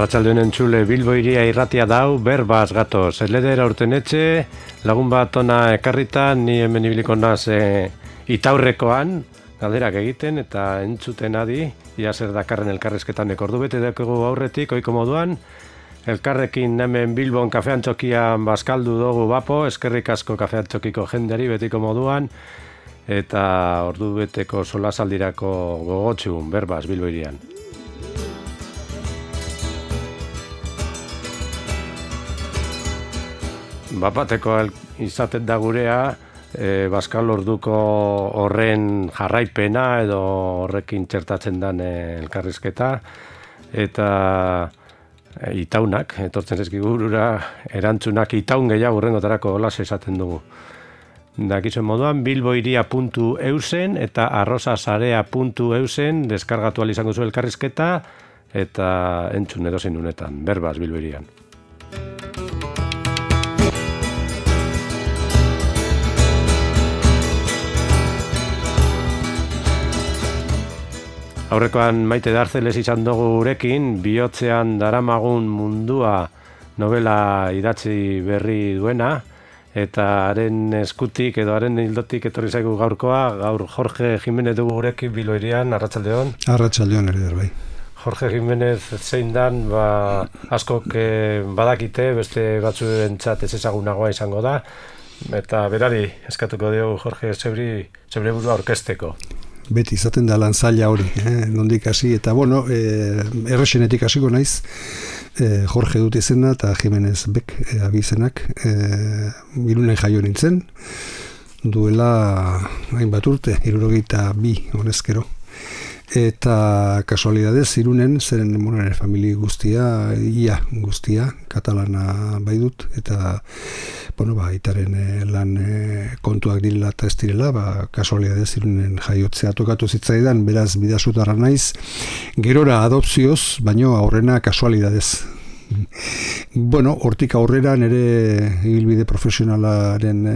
Arratsaldeon entzule, Bilbo iria irratia dau, berbaz gatoz. Eledera urtenetxe, lagun bat ona ekarrita, ni hemen ibiliko naz itaurrekoan, galderak egiten eta entzuten adi, ia zer dakarren elkarrezketan ordu bete dakigu aurretik, oiko moduan, elkarrekin hemen Bilbon kafean txokian bazkaldu dugu bapo, eskerrik asko kafean txokiko jenderi betiko moduan, eta ordu beteko solasaldirako gogotxun, berbaz, Bilbo irian. Bapateko izaten da gurea, Baskal orduko horren jarraipena edo horrekin txertatzen den elkarrizketa, eta itaunak, etortzen zezkigurura, erantzunak itaun gehiago urrengotarako holas esaten dugu. Dakizuen moduan, bilboiria.eusen eta arrosasarea.eusen deskargatu izango zu elkarrizketa eta entzun edozein unetan, berbaz Bilboirian. Aurrekoan Maite Darzeles izan dugu gurekin, bihotzean daramagun mundua novela idatzi berri duena, eta haren eskutik edo haren hildotik etorri zaigu gaurkoa, gaur Jorge Jimenez dugu gurekin Bilboirian, arratsaldeon. Arratsaldeon ere bai. Jorge Jimenez zein dan, askok badakite, beste batzuentzat ez ezagunagoa izango da, eta berari eskatuko diogu Jorge zeure burua aurkezteko. Beti izaten da lan zaila hori, nondik hasi, eta bueno, erresenetik hasiko naiz, Jorge dut izena eta Jimenez Bek abizenak, Irunen jaio nintzen, duela hainbat urte, 72 honezkero. Eta kasualidadez Irunen, zeren nire familia guztia, katalana bai dut, eta itaren lan kontuak direla eta ez direla, kasualidadez Irunen jaiotzea tokatu zitzaidan, beraz bidazutarra naiz, gerora adopzioz, baino aurrena kasualidadez. Hortik aurrera nire ibilbide profesionalaren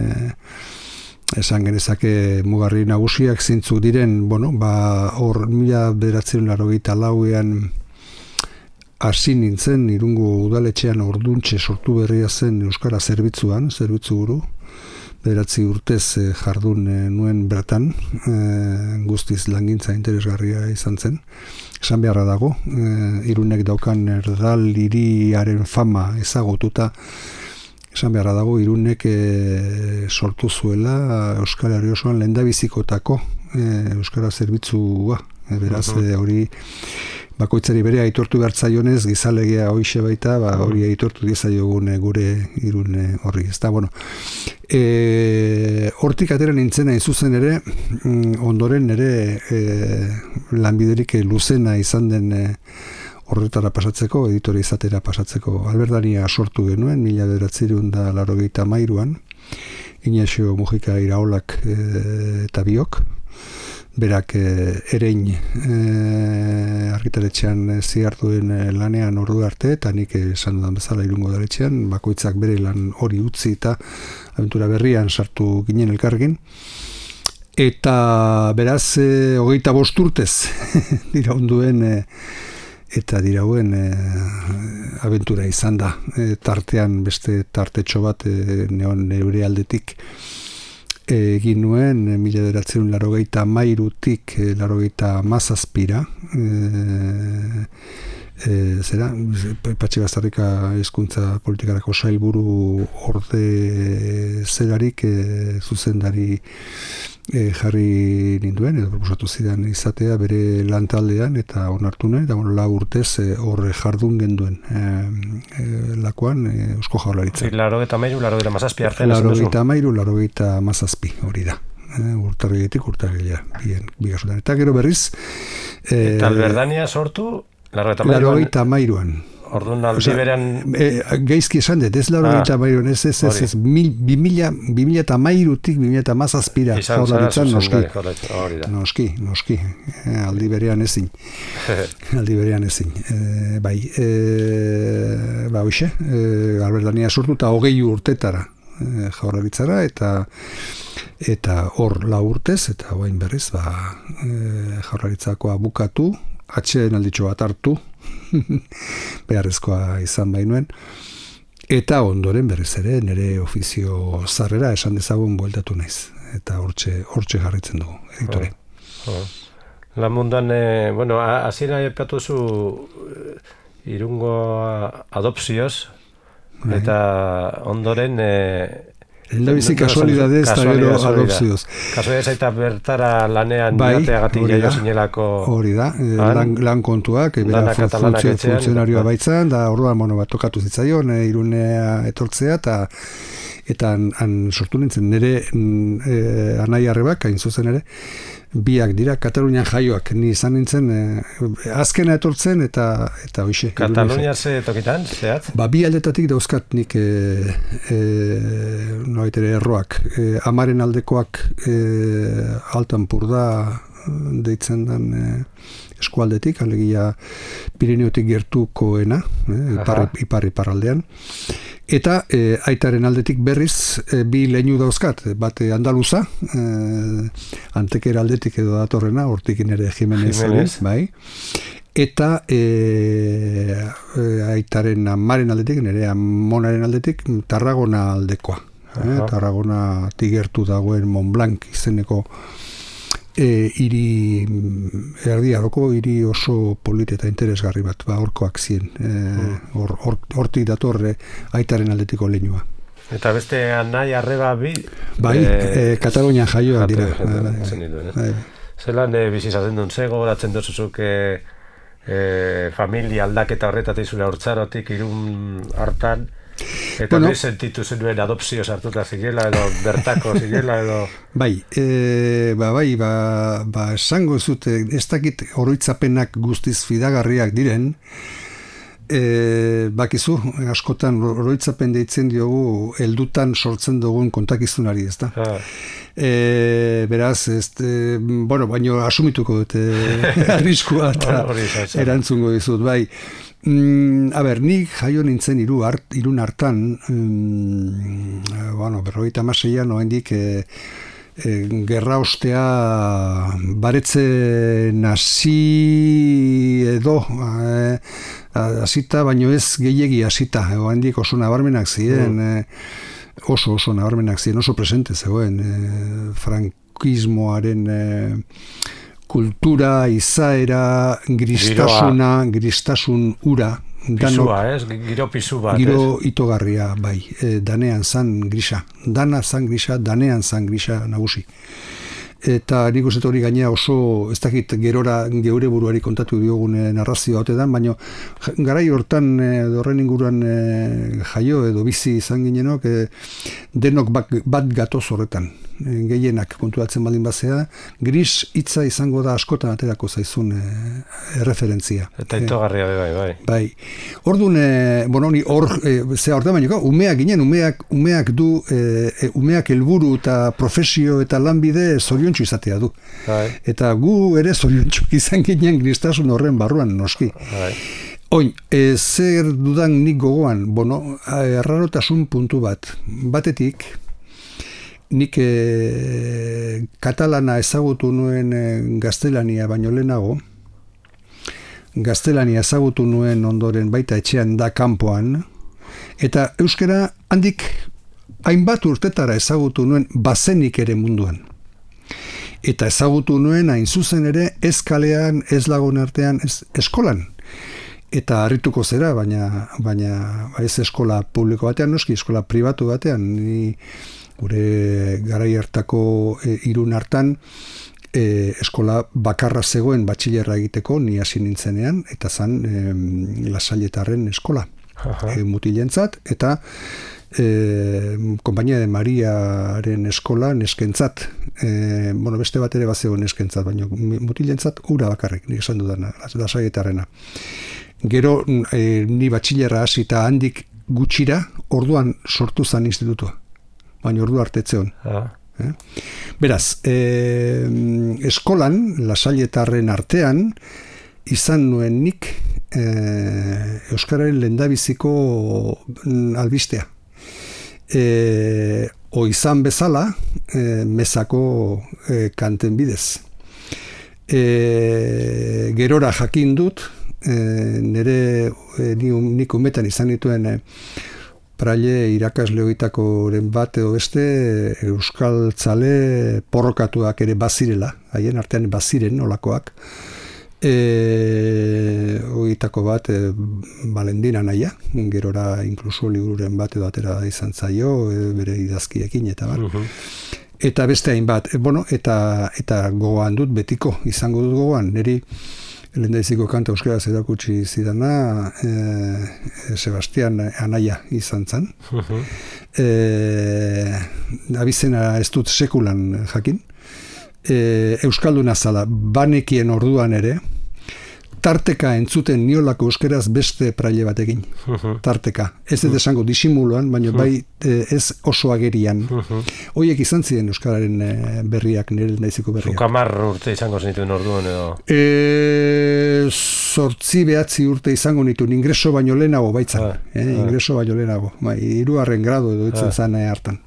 esan genezake mugarri nagusiak zintzu diren, hor 1984an hasi nintzen, Irungo udaletxean orduntxe sortu berria zen Euskara zerbitzu buru, 9 urtez jardun nuen bertan, guztiz langintza interesgarria izan zen. Esan beharra dago, Irunek daukan erdal hiriaren fama ezagututa, esan beharra dago, Irunek sortu zuela Euskal Herri osoan lehendabizikotako Euskara zerbitzua. Beraz, hori bakoitzari bere aitortu bertzaionez, gizalegea hoixe baita, hori aitortu diezaiogun gure Irun horri. Hortik atera nintzen hain zuzen ere, ondoren ere lanbiderik luzena izan den horretara pasatzeko, editore izatera pasatzeko Albertania sortu genuen, 1983an, Ignacio Mujika Iraolak eta biok, berak erein argitaletxean ziartuen lanean ordu arte, eta nik esan dudan bezala Irungo udaletxean, bakoitzak bere lan hori utzi eta abentura berrian sartu ginen elkarrekin. Eta beraz, 25 urtez diraunduen eta dirauen abentura izan da. Tartean beste tartetxo bat neure aldetik egin nuen 1983tik 87ra, Patxi Baztarrika hizkuntza politikarako sailburu orde zelarik zuzendari jarri ninduen, edo proposatu zidan izatea bere lantaldean, eta onartu nuen, eta 4 urtez horre jardun genduen lakoan Eusko Jaurlaritza. 93-87 hori da. Urtarriletik urtarrilea, bigasutan. Eta gero berriz... Eta Albertania sortu? 93an. Orduan aldi berean... Gaizki esan dut, ez 93an, ez 2013-tik 2017ra Jaurlaritzan noski, aldi berean ezin. Hoxe, Albertania sortu eta 20 urtetara Jaurlaritzara, eta hor 4 urtez, eta orain berriz Jaurlaritzakoa bukatu, atxeen alditxo bat hartu, beharrezkoa izan bainuen. Eta ondoren berriz ere, nire ofizio zarrera esan dezagun bueltatu naiz. Eta hortxe jarritzen dugu, editore. La munduan, bueno, hasiera aipatu zu Irungo adopzioz, eta ondoren Lehendabizi kasualidadez eta gero adopzioz. Kasualidadez eta bertara lanean jateagatik jaio zinelako. Hori da, lan kontuak, funtzionarioa baitzan, da orduan tokatu zitzaion, Irunea etortzea, eta han sortu nintzen, nire anai arrebak, hain zuzen ere, biak dira, Katalunian jaioak, ni izan nintzen, azkena etortzen, eta hoxe. Katalunia ze tokitan, zehat? Bi aldetatik dauzkat nik noitere erroak. Amaren aldekoak Altampurda deitzen den eskualdetik, alegia Pirineotik gertukoena, ipar-aldean. Eta aitaren aldetik berriz bi leinu dauzkat, bat andaluza, Antekera aldetik edo datorrena, hortikin ere Jimenez. Bai. Eta aitaren amaren aldetik, nire amonaren aldetik, Tarragona aldekoa. Tarragona tigertu dagoen Montblanc izeneko hiri erdiaroko hiri oso polit eta interesgarri bat, horkoak ziren. Hortik datorre aitaren aldetiko leinua. Eta beste anai arreba bi? Bai, Katalunian jaioak dira. Zelan bizizatzen duen, ze gogoratzen duzuzuk familia aldaketa horretatik zure hortzarotik Irun hartan, eta bueno, sentitu zenuen adopzio sartuta zigela edo bertako zigela edo... Bai, esango zute, ez dakit oroitzapenak guztiz fidagarriak diren, bakizu, askotan oroitzapen deitzen diogu heldutan sortzen dugun kontakizunari, ez da? Beraz, baino asumituko dute arriskua eta erantzungo dizut, bai. Nik jaio nintzen Irun hartan, 56an oraindik gerra ostea baretzen hasi edo hasita, baino ez gehiegi hasita, oraindik oso nabarmenak ziren, oso nabarmenak ziren, oso presente zegoen frankismoaren kultura, izaera, gristasun ura. Pisua, giro pisu bat. Giro itogarria, bai, danean zan grisa. Dana zan grisa, danean zan grisa nagusi. Eta nik uste hori gainea oso, ez dakit gerora geure buruari kontatu diogun narrazio haute dan, baina garai hortan horren inguruan jaio edo bizi izan ginenok, denok bat gatoz horretan. Gehienak kontuatzen baldin bazea, gris hitza izango da askotan aterako zaizun erreferentzia. Eta itogarria bai. Bai. Orduan, umeak ginen, umeak du, umeak helburu eta profesio eta lanbide zoriontsu izatea du. Bai. Eta gu ere zoriontsu izan ginen gristasun horren barruan noski. Bai. Oin, zer dudan nik gogoan, errarotasun puntu bat. Batetik, nik katalana ezagutu nuen gaztelania baino lehenago, gaztelania ezagutu nuen ondoren baita etxean da kanpoan, eta euskara handik hainbat urtetara ezagutu nuen bazenik ere munduan. Eta ezagutu nuen hain zuzen ere ez kalean, ez lagun artean, ez eskolan. Eta harrituko zera, baina ez eskola publiko batean, noski eskola pribatu batean, ni gure garai hartako Irun hartan eskola bakarra zegoen batxilerra egiteko, ni hasi nintzenean, eta zan Lasailetarren eskola mutilentzat, eta Konpainia de Mariaren eskola neskentzat, beste bat ere bazegoen neskentzat, baina mutilentzat ura bakarrik, nik esan dudana, Lasailetarrena. Gero ni batxilerra hasi eta handik gutxira, orduan sortu zan institutua. Baina ordu artetzeon. Beraz, eskolan, Lasailetarren artean, izan nuen nik euskararen lehendabiziko albistea. Izan bezala, mezako kanten bidez. Gerora jakin dut, nik umetan izan dituen praile irakasle horietakoren bat edo beste euskaltzale porrokatuak ere bazirela, haien artean baziren olakoak. Horietako bat Valendina naia, gerora inkluso libururen bat edo atera izan zaio, bere idazkiekin eta bar. Eta beste hainbat, eta gogoan dut betiko, izango dut gogoan, niri lehendaiziko kanta euskaraz erakutsi zidana Sebastian Anaia izan zen. Abizena ez dut sekulan jakin. Euskalduna zala, banekien orduan ere, tarteka entzuten niolako euskeraz beste praile batekin. Tarteka. Ez dut esango disimuloan, baina bai ez oso agerian. Hoiek izan ziren euskararen berriak, nire naiziko berriak. Zuk 10 urte izango zenituen orduan edo? 8-9 urte izango nituen, ingreso baino lehenago baitzan. Ingreso baino lehenago. 3. grado edo itzen zan hartan.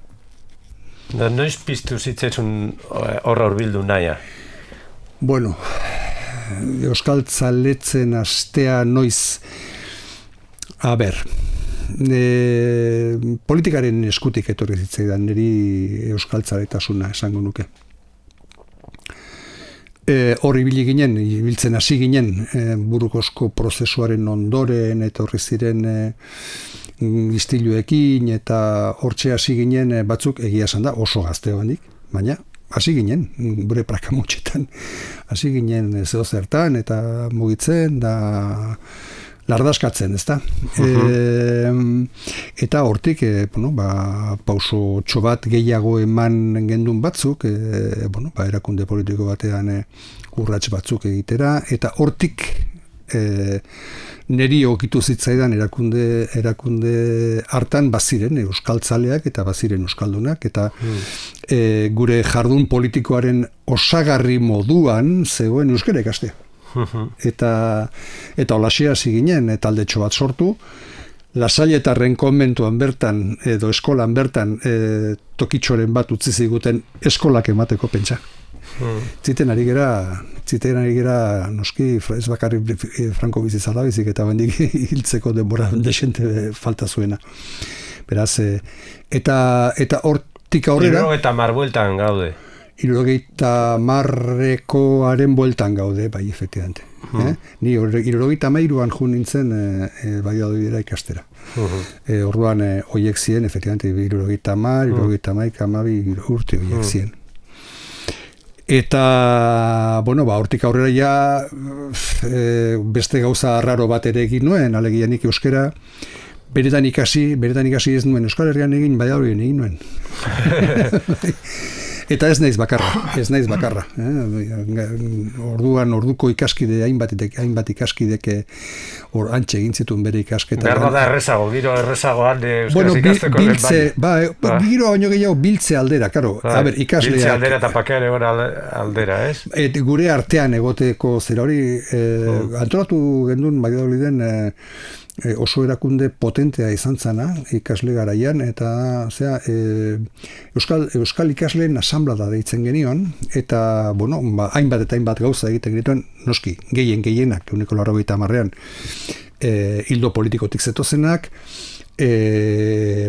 Noiz piztu zitzezun horra urbildu naia? Bueno, euskaltzaletzen astea noiz, politikaren eskutik etorri zitzaidan niri euskaltzaletasuna esango nuke. Hor ibiltzen hasi ginen Burukosko prozesuaren ondoren etorri ziren istiluekin eta hortxe hasi ginen batzuk egia esan da oso gazteo handik, baina hasi ginen, gure prakamotxetan hasi ginen zeo zertan eta mugitzen da lardaskatzen, ezta? Eta hortik, pauso txobat gehiago eman gendun batzuk, erakunde politiko batean urrats batzuk egitera, eta hortik neri okitu zitzaidan erakunde hartan baziren euskaltzaleak eta baziren euskaldunak, eta gure jardun politikoaren osagarri moduan zegoen euskara ikastea. Eta holaxe hasi ginen, taldetxo bat sortu, Lasailetarren konbentuan bertan, edo eskolan bertan, tokitxoren bat utzi ziguten eskolak emateko pentsa. Ziten ari gera noski, ez bakarrik Franko bizi zala bizik, eta bendik hiltzeko denbora desente falta zuena. Beraz, eta hortik aurrera... 70 bueltan gaude. 70-aren bueltan gaude, bai, efectivamente. Ni 73an jun nintzen Valladolidera ikastera. Orduan hoiek ziren, efectivamente, 70, 72 urte hoiek ziren. Eta, hortik aurrera ja beste gauza arraro bat ere egin nuen, alegia nik euskera beretan ikasi ez nuen, Euskal Herrian egin, Valladoliden egin nuen. Eta ez naiz bakarra. Orduko ikaskide, hainbat ikaskidek antxe egin zituen bere ikasketa. Berda da errezago, giro errezago alde euskaraz ikasteko den baina. Giro baino gehiago biltze aldera, karo. Ikasleak. Biltze aldera eta pakean egon aldera, ez? Gure artean egoteko zera hori, antolatu gendun Valladoliden oso erakunde potentea izan zana ikasle garaian, eta euskal ikasleen asanblada deitzen genion, eta hainbat eta hainbat gauza egiten genituen, noski, gehienak, 90-an, hildo politikotik zetozenak,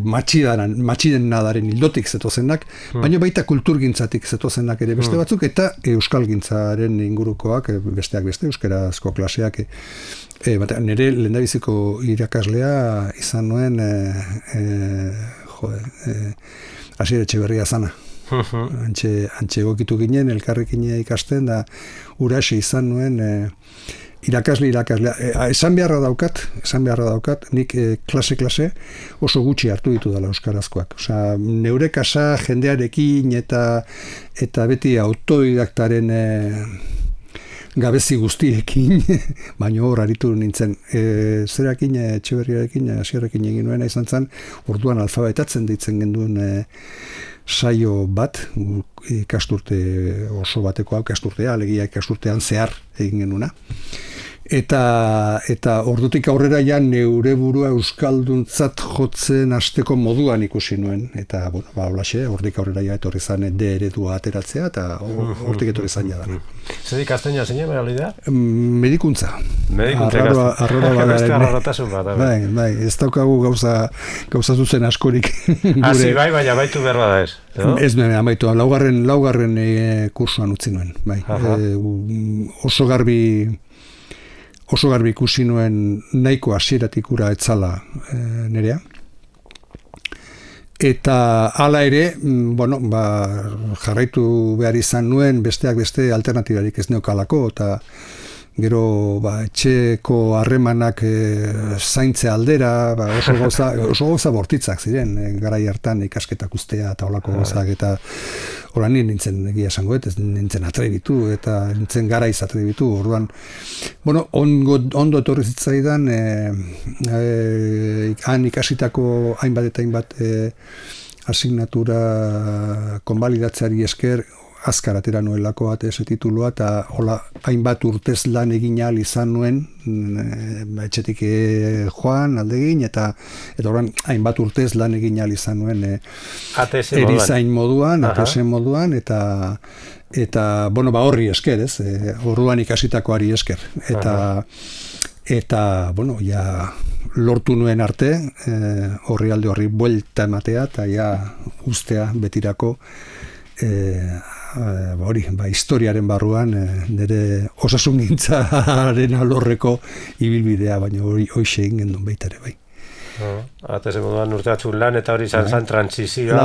matxiden nadaren hildotik zetozenak, baina baita kulturgintzatik zetozenak ere beste batzuk, eta euskalgintzaren ingurukoak, besteak beste, euskarazko klaseak, nire lehendabiziko irakaslea izan nuen Asier Etxeberria zana. Antxe egokitu ginen, elkarrekin ikasten, da uraxe izan nuen irakaslea. Esan beharra daukat, nik klase oso gutxi hartu ditu dela euskarazkoak. Osea, neure kasa jendearekin eta beti autodidaktaren gabezi guztiekin, baina hor aritu nintzen. Zerakin, Etxeberriarekin, Asierrekin egin nuena izan zen, orduan alfabetatzen deitzen genduen saio bat, ikasturte oso bateko ikasturtea, alegia ikasturtean zehar egin genuna. Eta ordutik aurrera ja neure burua euskalduntzat jotzen hasteko moduan ikusi nuen. Eta, bueno, holaxe, ordutik aurrera ja etorri zan D eredua ateratzea, eta hortik etorri zan jadana. Zer ikastenia zinen, realidad? Medikuntza. Medikuntza ikasten. Arrora beste arrorotasun bat. Bai, ez daukagu gauza zuzen askorik. Hasi bai, baina baitu behar bada ez. Ez nuen, amaitu, laugarren kursuan utzi nuen. Bai. Oso garbi ikusi nuen nahiko hasieratik ura etzala nerea. Eta hala ere, bueno, jarraitu behar izan nuen besteak beste alternatibarik ez neukalako, eta gero etxeko harremanak zaintze aldera, oso gauza bortitzak ziren, garai hartan ikasketak ustea eta olako gauzak, eta horan nintzen egia esango, ez nintzen atrebitu, eta nintzen garaiz atrebitu, orduan, bueno, ondo etorri zitzaidan, han ikasitako hainbat eta hainbat asignatura konbalidatzeari esker, azkar atera nuelako ese titulua, eta hola hainbat urtez lan egin ahal izan nuen, etxetik joan aldegin, eta orain hainbat urtez lan egin ahal izan nuen erizain moduan, ATS moduan, eta bueno, horri esker, ez? Orduan ikasitakoari esker. Eta bueno, ja lortu nuen arte, horri buelta ematea, eta ja ustea betirako historiaren barruan nire osasungintzaren alorreko ibilbidea, baina hoxe egin gendun baita ere bai. Atez moduan urte batzuk lan eta hori izan transizioa.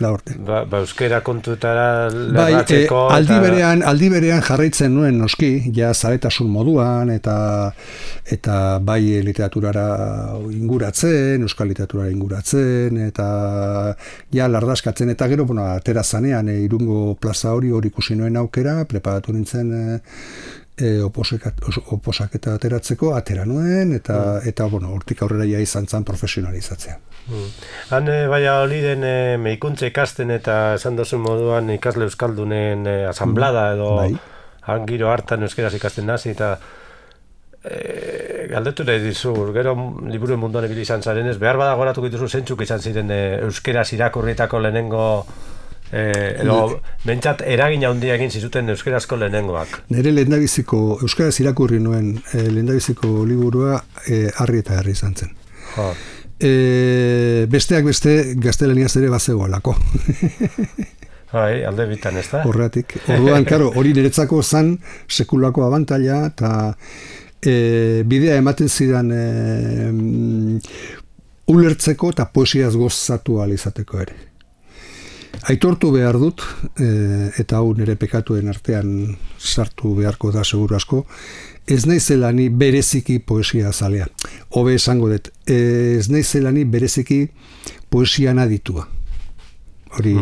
La urte. Euskera kontutara lerratzeko. Aldi berean jarraitzen nuen noski, ja zaretasun moduan, eta bai literaturara inguratzen, euskal literaturara inguratzen, eta ja lardaskatzen, eta gero, bueno, atera zanean, Irungo plaza hori ikusi nuen aukera, preparatu nintzen oposaketa ateratzeko, atera nuen, eta bueno, hortik aurrera ja izan zen profesionalizatzea. Han, Valladoliden medikuntza ikasten eta esan dozun moduan ikasle euskaldunen asamblada edo han giro hartan euskeraz ikasten nazi, eta galdetu nahi dizu, gero liburuen munduan ibili izan zarenez, behar badagoratuko dituzu zentzuk izan ziren euskeraz irakurritako lehenengo edo bentsat eragin handia egin zizuten euskerazko lehenengoak. Nire lehendabiziko, euskaraz irakurri nuen lehendabiziko liburua Harri eta Herri izan zen. Besteak beste gaztelaniaz ere bazegoelako. Bai, alde bitan, ez da? Horretik. Orduan, karo, hori niretzako zan sekulako abantaila, eta bidea ematen zidan ulertzeko eta poesiaz gozatu ahal izateko ere. Aitortu behar dut, eta hau nire pekatuen artean sartu beharko da seguru asko, ez naizela ni bereziki poesia zalea. Hobe esango dut, ez naizela ni bereziki poesian aditua. Hori,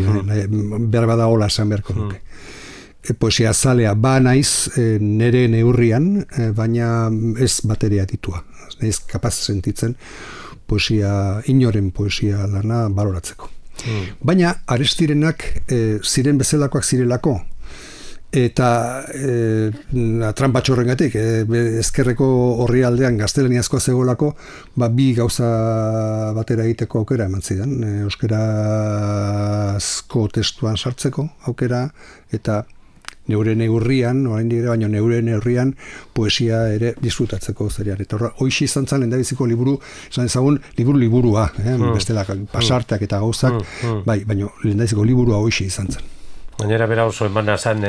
behar bada hola esan beharko nuke. Poesia zalea ba naiz nire neurrian, baina ez bateria aditua. Naiz kapaz sentitzen poesia, inoren poesia lana baloratzeko. Baina Aristirenak ziren bezalakoak zirelako, eta tranpatxorrengatik ezkerreko horri aldean gaztelaniazkoa zegoelako, bi gauza batera egiteko aukera eman zidan, euskerazko testuan sartzeko aukera, eta neure neurrian, baina neure neurrian poesia ere disfrutatzeko zerian. Eta hoixi izan zen lehendabiziko liburu, esan ezagun liburua, bestela pasarteak eta gauzak, bai, baina lehendabiziko liburua hoixi izan zen. Gainera bera oso emana zen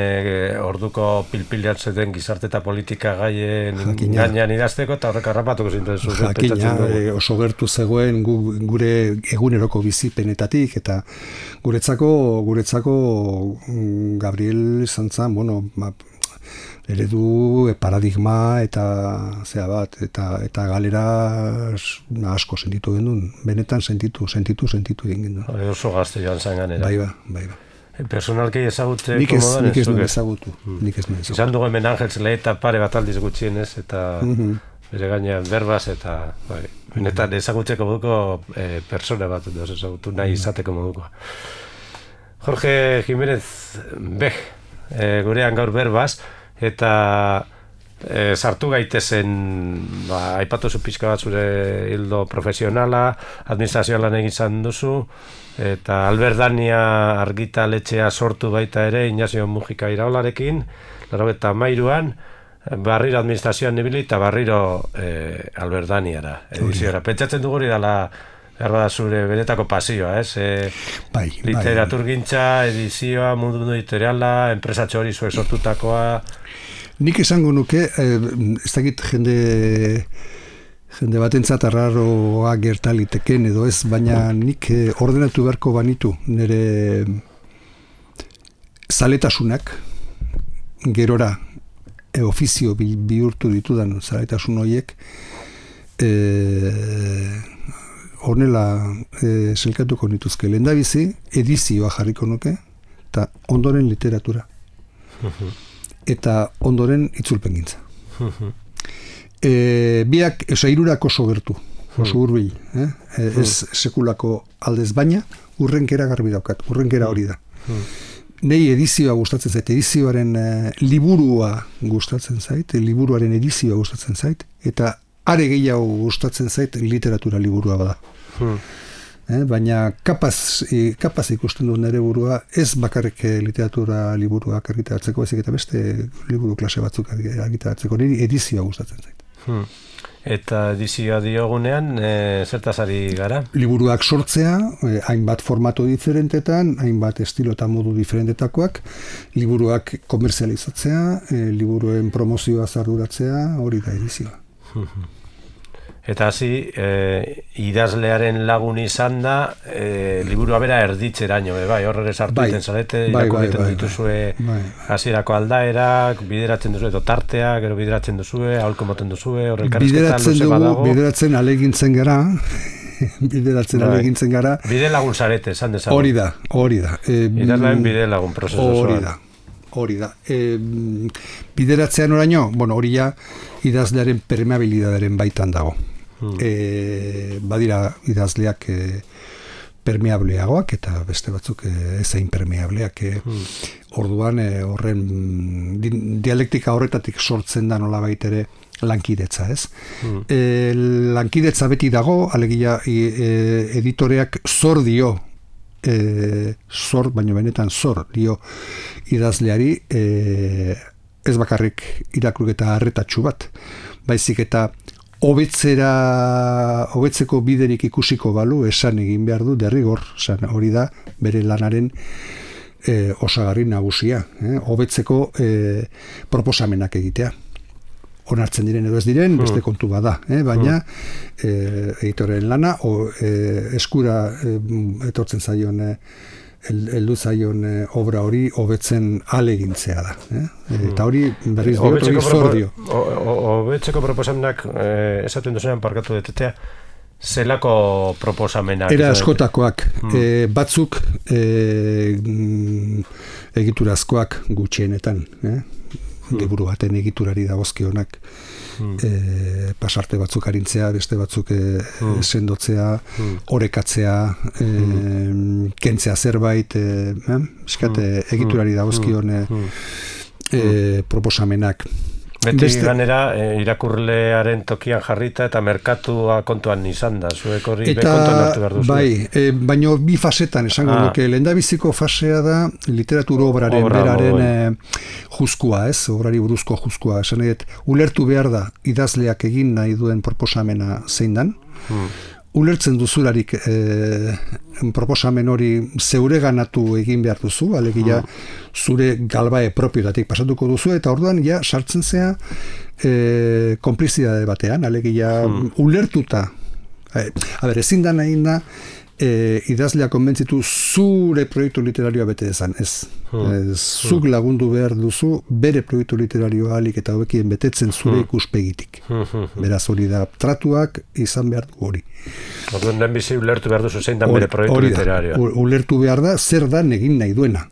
orduko pilpilatzen den gizarte eta politika gaien gainean idazteko, eta horrek harrapatuko zinten zuen. Jakina, oso gertu zegoen gure eguneroko bizipenetatik, eta guretzako Gabriel izan zen, bueno, eredu, paradigma, eta zea bat, eta galera asko sentitu genuen, benetan sentitu egin genuen. Oso gazte joan zen ganera. Bai. Personalkei ezagutzeko modan ez? Nik ez nuen ezagutu. Izan dugu hemen Ángel Zeleta pare bat aldiz gutxienez, eta bere gainean berbaz, eta benetan ezagutzeko moduko persona bat ezagutu nahi izateko moduko. Jorge Jiménez Bej, gurean gaur berbaz, eta sartu gaitezen, aipatu zu pixka bat zure hildo profesionala, administrazioa lan egin izan duzu, eta Alberdania argitaletxea sortu baita ere, Ignacio Mujika Iraolarekin, 93an, barriro administrazioan nibili eta barriro Alberdaniara ediziora. Pentsatzen dugu hori dela zure benetako pasioa, ez? Literaturgintza, edizioa, mundu editoriala, enpresatxo hori zuek sortutakoa. Nik esango nuke, ez dakit jende batentzat arraroa gertaliteken edo ez, baina nik ordenatu beharko banitu nire zaletasunak gerora ofizio bihurtu ditudan zaletasun horiek honela selkatuko nituzke. Lehendabizi edizioa jarriko nuke eta ondoren literatura eta ondoren itzulpengintza. Biak, hirurak oso gertu, oso hurbil, ez sekulako aldez, baina urrenkera garbi daukat, urrenkera hori da. Nei edizioa gustatzen zait, edizioaren liburua gustatzen zait, liburuaren edizioa gustatzen zait, eta are gehiago gustatzen zait literatura liburua bada. Baina kapaz ikusten du nire burua, ez bakarrik literatura liburuak argitaratzeko, ezik eta beste liburu klase batzuk argitaratzeko, niri edizioa gustatzen zait. Eta edizioa diogunean, zertaz ari gara? Liburuak sortzea, hainbat formato diferentetan, hainbat estilo eta modu diferentetakoak, liburuak komerzializatzea, liburuen promozioa zarduratzea, hori da edizioa. Eta hasi, idazlearen lagun izan da, liburua bera erditzeraino, horre sartu egiten zarete, irakurriten dituzue hasierako aldaerak, bideratzen duzue, tartea, gero bideratzen duzue, aholko moten duzue, horre elkarrizketa luze badago. Bideratzen alegintzen gara. Bide lagun zarete, esan dezagun. Hori da. Idazlearen bide lagun prozesu zoan. Hori da. Bideratzean oraino, hori ja idazlearen permeabilidadearen baitan dago. Badira idazleak permeableagoak eta beste batzuk ezain permeableak. Orduan horren dialektika horretatik sortzen da nolabait ere lankidetza, ez? Lankidetza beti dago, alegia editoreak zor dio, baina benetan zor dio idazleari, ez bakarrik irakurketa arretatsu bat, baizik eta hobetzeko biderik ikusiko balu esan egin behar du derrigor, hori da bere lanaren osagarri nagusia, hobetzeko proposamenak egitea. Onartzen diren edo ez diren, beste kontu bada, baina editoren lana eskura etortzen zaion heldu zaion obra hori hobetzen alegintzea da. Eta hori berriz diot, hori zor dio. Hobetzeko proposamenak esaten duzunean parkatu detetea, zelako proposamenak? Era askotakoak, batzuk egiturazkoak gutxienetan, liburu baten egiturari dagozkionak, pasarte batzuk arintzea, beste batzuk sendotzea, orekatzea, kentzea zerbait, egiturari dagozkion proposamenak. Beti ganera irakurlearen tokian jarrita eta merkatua kontuan izan da, zuek hori kontuan hartu behar duzu. Bai, baina bi fasetan esango duke, lehendabiziko fasea da literatur obraren beraren juzkua, ez? Obrari buruzko juzkua, esan edo, ulertu behar da idazleak egin nahi duen proposamena zein dan, ulertzen duzularik proposamen hori zeure ganatu egin behar duzu, alegia zure galbae propiotatik pasatuko duzu, eta orduan ja sartzen zea konplizidade batean, alegia ulertuta. Ezin da nahi da idazlea konbentzitu zure proiektu literarioa bete dezan, ez. Zuk lagundu behar duzu bere proiektu literarioa alik eta hobekien betetzen zure ikuspegitik. Beraz hori da, tratuak izan behar du hori. Orduan den bizi ulertu behar duzu zein dan bere proiektu literarioa. Ulertu behar da zer dan egin nahi duena,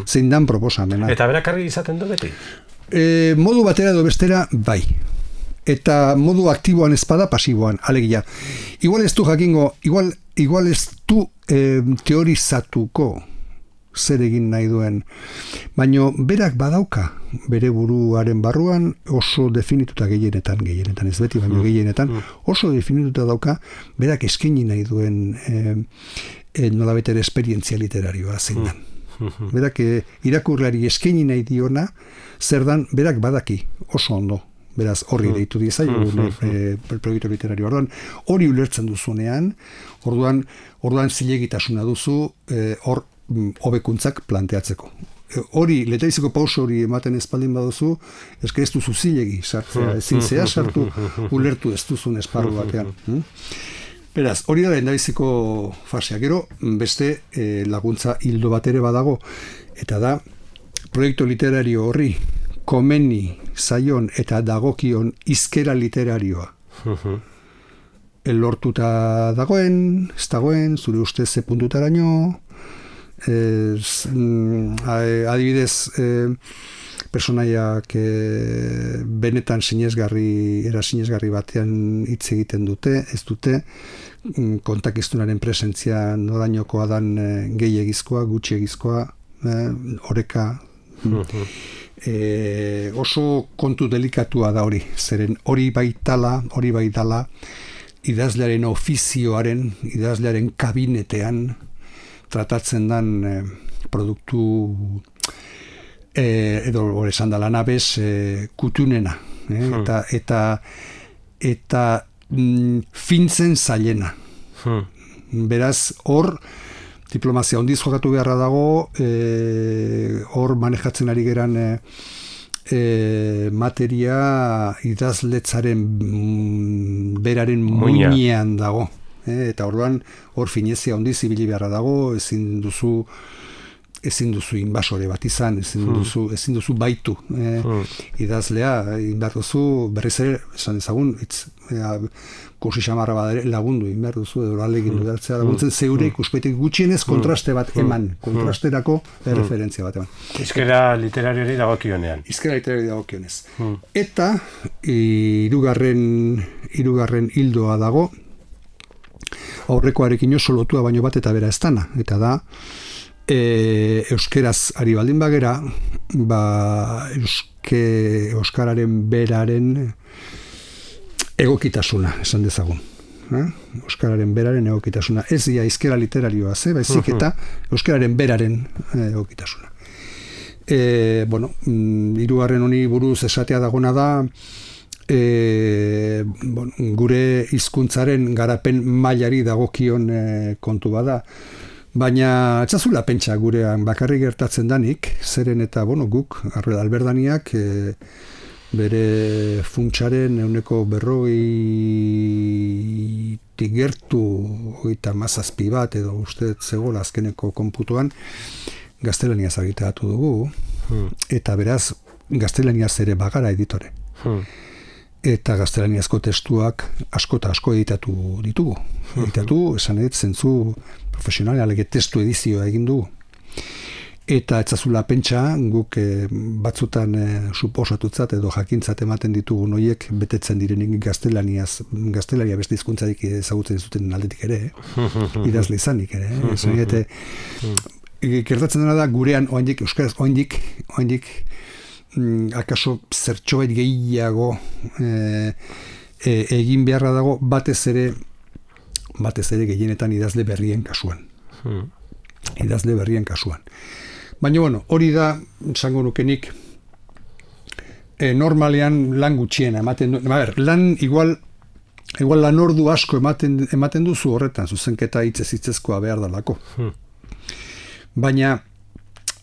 zein dan proposamena. Eta berak argi izaten du beti? Modu batera edo bestera, bai. Eta modu aktiboan ezpada, pasiboan, alegia. Igual ez du jakingo, igual ez du teorizatuko zer egin nahi duen. Baina berak badauka bere buruaren barruan oso definituta gehienetan ez beti, baina gehienetan oso definituta dauka berak eskaini nahi duen nolabait ere esperientzia literarioa zein dan. Berak irakurlari eskaini nahi diona zer dan berak badaki oso ondo. Beraz, horri deitu diezaiogun proiektu literario. Hori ulertzen duzunean, orduan zilegitasuna duzu hor hobekuntzak planteatzeko. Hori, letaizeko pauso hori ematen espaldin baduzu, eske ez duzu zilegi sartzea, ezin zea sartu, ulertu ez duzun esparru batean. Beraz, hori da lehendabiziko fasea. Gero, beste laguntza hildo bat ere badago, eta da, proiektu literario horri komeni zaion eta dagokion hizkera literarioa. Lortuta dagoen, ez dagoen, zure ustez ze puntutaraino, adibidez, personaiak benetan sinesgarri batean hitz egiten dute, ez dute, kontakiztunaren presentzia norainokoa dan gehiegizkoa, gutxiegizkoa, oreka, oso kontu delikatua da hori, zeren hori baitala idazlearen ofizioaren, idazlearen kabinetean tratatzen dan produktu edo hori esan da lanabez kutunena eta fintzen zailena. Beraz, hor diplomazia ondiz jokatu beharra dago, hor manejatzen ari geran materia idazletzaren beraren muinean dago. Eta orduan hor finezia ondiz ibili beharra dago, ezin duzu inbasore bat izan, ezin duzu baitu idazlea, behar duzu berriz ere, esan ezagun, kursi xamarra bat lagundu, behar duzu, edo alegin dudatzea laguntzen, zeure ikuspeitek gutxienez kontraste bat eman, kontrasterako referentzia bat eman. Hizkera literariori dagokionean. Hizkera literariori dagokionez. Eta hirugarren hildoa dago, aurrekoarekin oso lotua baino bat eta bera ez dana, eta da, euskeraz ari baldin bagera, euskararen beraren egokitasuna, esan dezagun. Euskararen beraren egokitasuna. Ez ia hizkera literarioa, baizik eta euskararen beraren egokitasuna. Hirugarren honi buruz esatea dagona da, gure hizkuntzaren garapen mailari dagokion kontu bada, baina etxazula pentsa gurean bakarrik gertatzen danik, zeren eta guk, alberdaniak, bere funtsaren 40% gertu 37 bat edo uste zegoela azkeneko konputuan gaztelaniaz argitaratu dugu, eta beraz gaztelaniaz ere bagara editore. Eta gaztelaniazko testuak asko eta asko editatu ditugu. Editatu, esan edit, zentzu profesional, alege testu edizioa egin dugu. Eta etzazula pentsa, guk batzutan suposatutzat edo jakintzat ematen ditugu noiek betetzen direnik gaztelania beste hizkuntzarik ezagutzen zuten aldetik ere, idazle izanik ere. Gertatzen dena da, gurean, euskaraz, oindik, akaso zertxobait gehiago egin beharra dago batez ere gehienetan idazle berrien kasuan. Baina, hori da, esango nukenik, normalean lan gutxiena ematen du. Lan igual lan ordu asko ematen duzu horretan, zuzenketa hitzezkoa behar dalako. Baina,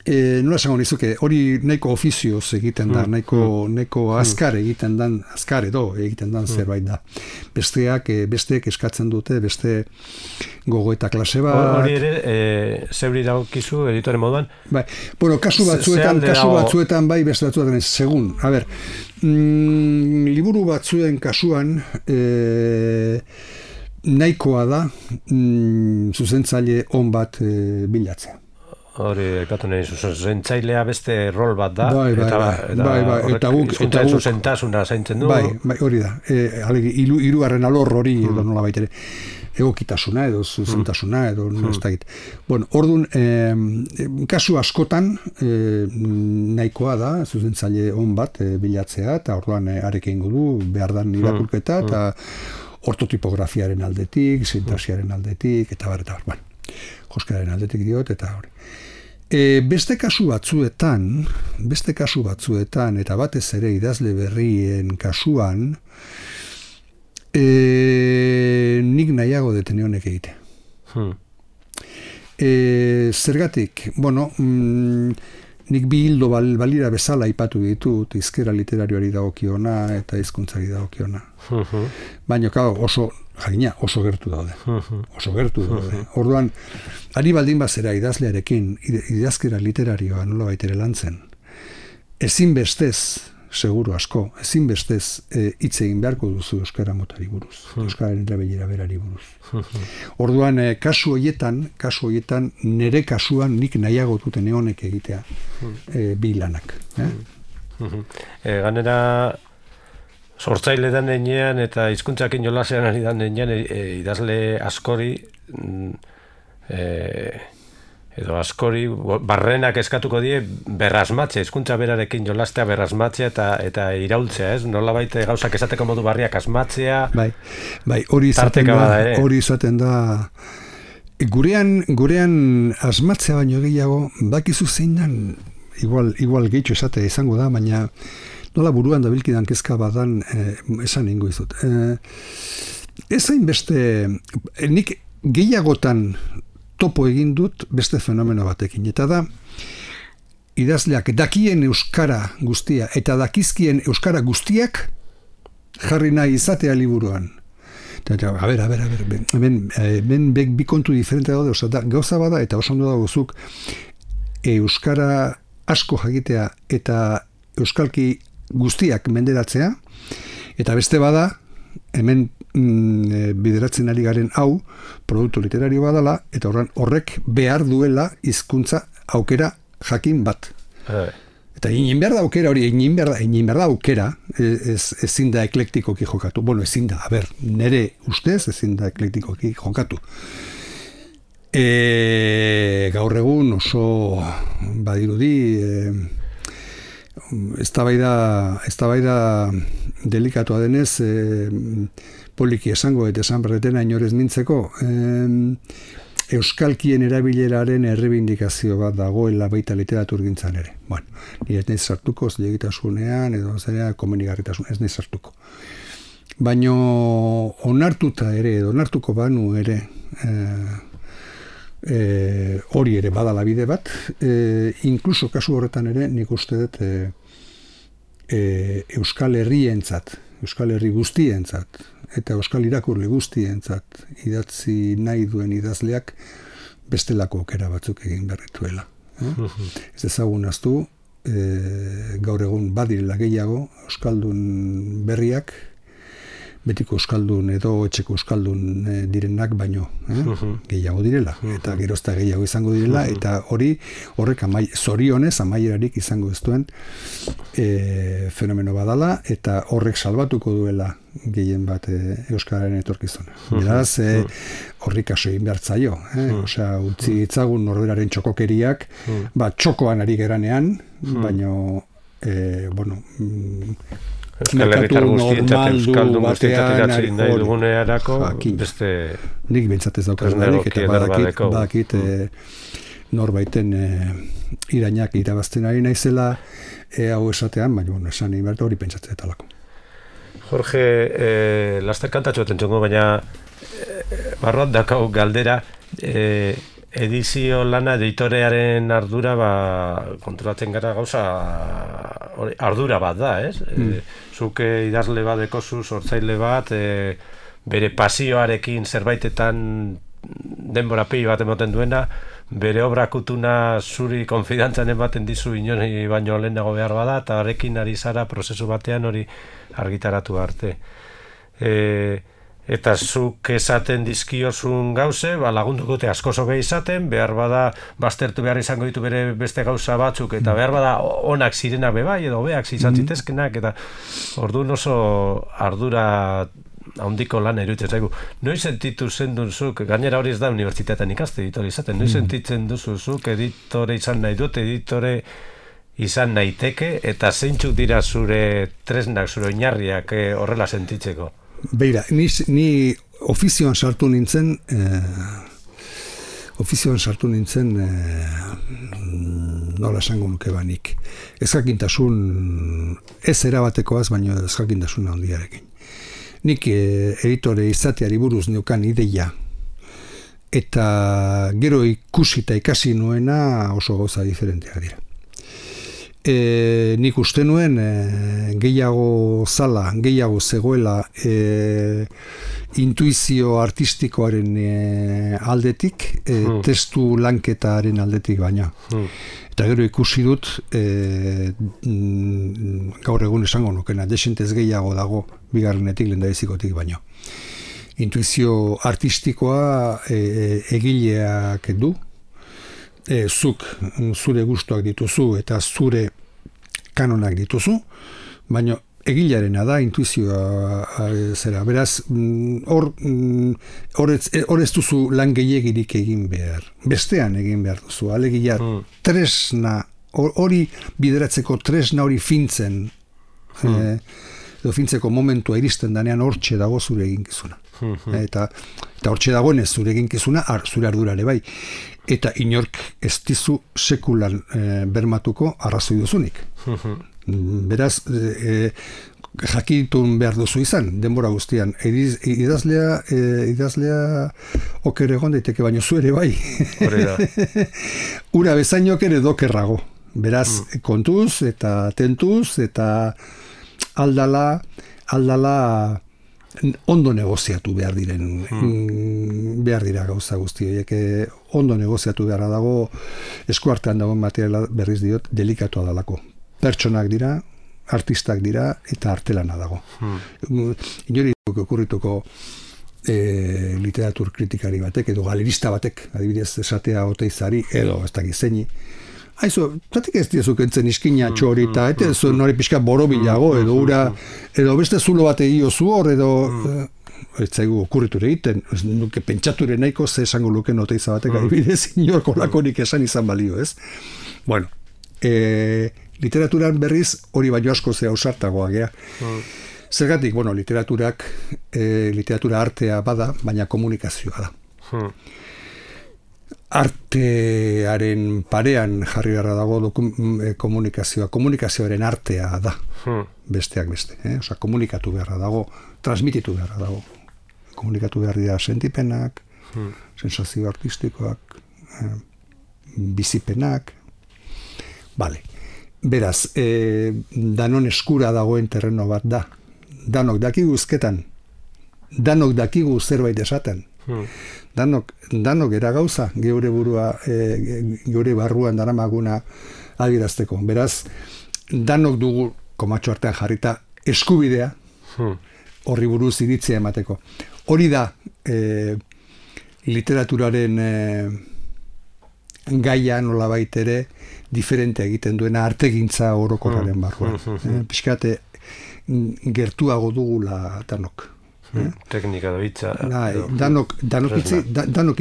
nola esango nizuke, hori nahiko ofizioz egiten da, nahiko azkar egiten dan zerbait da. Besteek eskatzen dute, beste gogo eta klase bat. Hori ere, zeuri dagokizu editore moduan? Kasu batzuetan bai, beste batzuetan ez, segun. Liburu batzuen kasuan, nahikoa da zuzentzaile on bat bilatzea. Hori, epatu nahi, zuzentzailea beste rol bat da, eta guk zuzentasuna zaintzen du. Hori da, hirugarren alor hori edo nola baitere. egokitasuna edo zuzentasuna edo ez dakit. Bueno, orduan, kasu askotan nahikoa da zuzentzaile on bat bilatzea, eta orduan arekin du behar dan irakurketa, eta ortotipografiaren aldetik, sintasiaren aldetik, eta bar. Bueno, joskeraren aldetik diot, eta hori. Beste kasu batzuetan, eta batez ere idazle berrien kasuan, nik nahiago detene honek egite. Zergatik, bueno, nik bi hildo balira bezala aipatu ditut, hizkera literarioari dagokiona eta hizkuntzari dagokiona. Baina, oso gertu daude. Orduan, ari baldin bazera idazlearekin, idazkera literarioa nola baitere lantzen, ezinbestez, seguru asko, ezinbestez hitz egin beharko duzu euskara motari buruz, euskararen erabilera berari buruz. Orduan, kasu horietan, nire kasuan nik nahiago duten honek egitea bi lanak. Ganera, sortzaile dan enean eta hizkuntzakin jolasean ari dan enean idazle askori edo askori barrenak eskatuko die berrasmatzea, hizkuntza berarekin jolastea berrasmatzea eta iraultzea, ez? Nolabait gauzak esateko modu barriak asmatzea. Bai, hori izaten da gurean asmatzea baino gehiago, bakizu zein dan, igual gehitxo esatea izango da, baina nola buruan dabilkidan kezka badan esan ingo izut. Ez hain beste, nik gehiagotan topo egin dut beste fenomeno batekin, eta da idazleak dakien euskara guztia eta dakizkien euskara guztiak jarri nahi izatea liburuan. A ber, hemen bi kontu diferente daude, gauza bada eta oso ondo dagozuk euskara asko jakitea eta euskalki guztiak menderatzea, eta beste bada, hemen bideratzen ari garen hau, produktu literario badala, eta horrek behar duela hizkuntza aukera jakin bat. Eta egin behar da aukera hori, egin behar da aukera, ezin da eklektikoki jokatu. Bueno, ezin da, nire ustez ezin da eklektikoki jokatu. Gaur egun oso badirudi eztabaida delikatua denez, poliki esango eta esan berretena inorez mintzeko, euskalkien erabileraren errebindikazio bat dagoela baita literaturgintzan ere. Bueno, nire ez nahi sartuko zilegitasunean edo zera komenigarritasun, ez nahi sartuko. Baina onartuta ere, edo onartuko banu ere, hori ere badala bide bat, inkluso kasu horretan ere nik uste dut Euskal Herrientzat, Euskal Herri guztientzat eta Euskal irakurle guztientzat idatzi nahi duen idazleak bestelako aukera batzuk egin berrituela. Ez ezagun aztu, gaur egun badirela gehiago euskaldun berriak, betiko euskaldun edo etxeko euskaldun direnak baino gehiago direla, eta gerozta gehiago izango direla, eta horrek zorionez amaierarik izango ez duen fenomeno badala, eta horrek salbatuko duela gehien bat euskararen etorkizuna. Beraz, horri kaso egin behar zaio. Osea, utzi itzagun norberaren txokokeriak, txokoan ari geranean, baino, Euskal Herritar guztientzat, euskaldun guztientzat idatzi nahi dugunearako, beste... Nik bintzatez daukazunarik, eta badakit norbaiten irainak irabazten ari naizela, hau esatean, baina esan inberta hori pentsatzea talako. Jorge, laster kantatxo tentxongo, baina barruat dakau galdera, edizio lana editorearen ardura konturatzen gara gauza ardura bat da, ez? Zuk idazle bat dekozu, sortzaile bat, bere pasioarekin zerbaitetan denbora pegi bat emoten duena, bere obra kutuna zuri konfidantzan ematen dizu inori baino lehenago behar bada, eta horrekin ari zara prozesu batean hori argitaratu arte. Eta zuk esaten dizkiozun gauze, lagundukote asko zoge izaten, behar bada baztertu behar izango ditu bere beste gauza batzuk, eta behar bada onak zirenak bebai, edo beak izan zitezkenak, eta orduan oso ardura handiko lan iruditzen zaigu. Noiz sentitu zenduzuk, gainera hori ez da unibertsitatean ikaste editore izaten, noiz sentitzen duzuzuk editore izan nahi dut, editore izan naiteke, eta zeintzuk dira zure tresnak, zure oinarriak horrela sentitzeko? Beira, ni ofizioan sartu nintzen, nola esango nuke banik. Ezjakintasun, ez erabatekoaz, baina ezjakintasun handiarekin. Nik editore izateari buruz neukan ideia, eta gero ikusi eta ikasi nuena oso gauza diferenteak dira. Nik uste nuen gehiago zegoela intuizio artistikoaren aldetik, testu lanketaren aldetik baina. Eta gero ikusi dut, gaur egun esango nukena, desentez gehiago dago bigarrenetik lehendabizikotik baino. Intuizio artistikoa egileak du, zuk zure gustuak dituzu eta zure kanonak dituzu, baina egilearena da intuizioa zera. Beraz, hor ez duzu lan gehiagirik egin behar. Bestean egin behar duzu. Alegia tresna, hori bideratzeko tresna hori fintzen, edo fintzeko momentua iristen danean hortxe dago zure eginkizuna. Eta hortxe dagoenez zure eginkizuna, zure ardurare bai. Eta inork ez dizu sekulan bermatuko arrazoi duzunik. Beraz, jakitun behar duzu izan, denbora guztian. Idazlea oker egon daiteke, baino zu ere bai. Ura bezainok ere dokerrago. Beraz, kontuz eta tentuz eta aldala ondo negoziatu behar dira gauza guzti horiek, ondo negoziatu beharra dago, eskuartean dagoen materiala berriz diot, delikatua dalako. Pertsonak dira, artistak dira, eta artelana dago. Inori okurrituko literatur kritikari batek, edo galerista batek, adibidez esatea Oteizari, edo ez dakit zeini, aizu, zatik ez dizuk entzen iskina txori, eta zuen nori pixka borobilago, edo ura, edo beste zulo bat egio zu hor, edo ez zaigu okurriture egiten, nuke pentsature nahiko ze esango luken Oteiza batek, adibidez inorko lakorik esan izan balio, ez? Bueno, literaturan berriz hori baino asko zea ausartagoa gea. Zergatik, bueno, literatura artea bada, baina komunikazioa da. Artearen parean jarri beharra dago komunikazioaren artea da, besteak beste. Osa, komunikatu beharra dago, transmititu beharra dago. Komunikatu behar dira sentipenak, sensazio artistikoak, bizipenak. Bale. Beraz, danon eskura dagoen terreno bat da. Danok dakigu uzketan, danok dakigu zerbait esaten. Danok era gauza geure burua, geure barruan daramaguna adierazteko. Beraz, danok dugu komatxo artean jarrita eskubidea horri buruz iritzia emateko. Hori da literaturaren gaia nolabait ere diferente egiten duena artegintza orokorraren barruan. Pixkate gertuago dugula danok. Teknika da hitza. Danok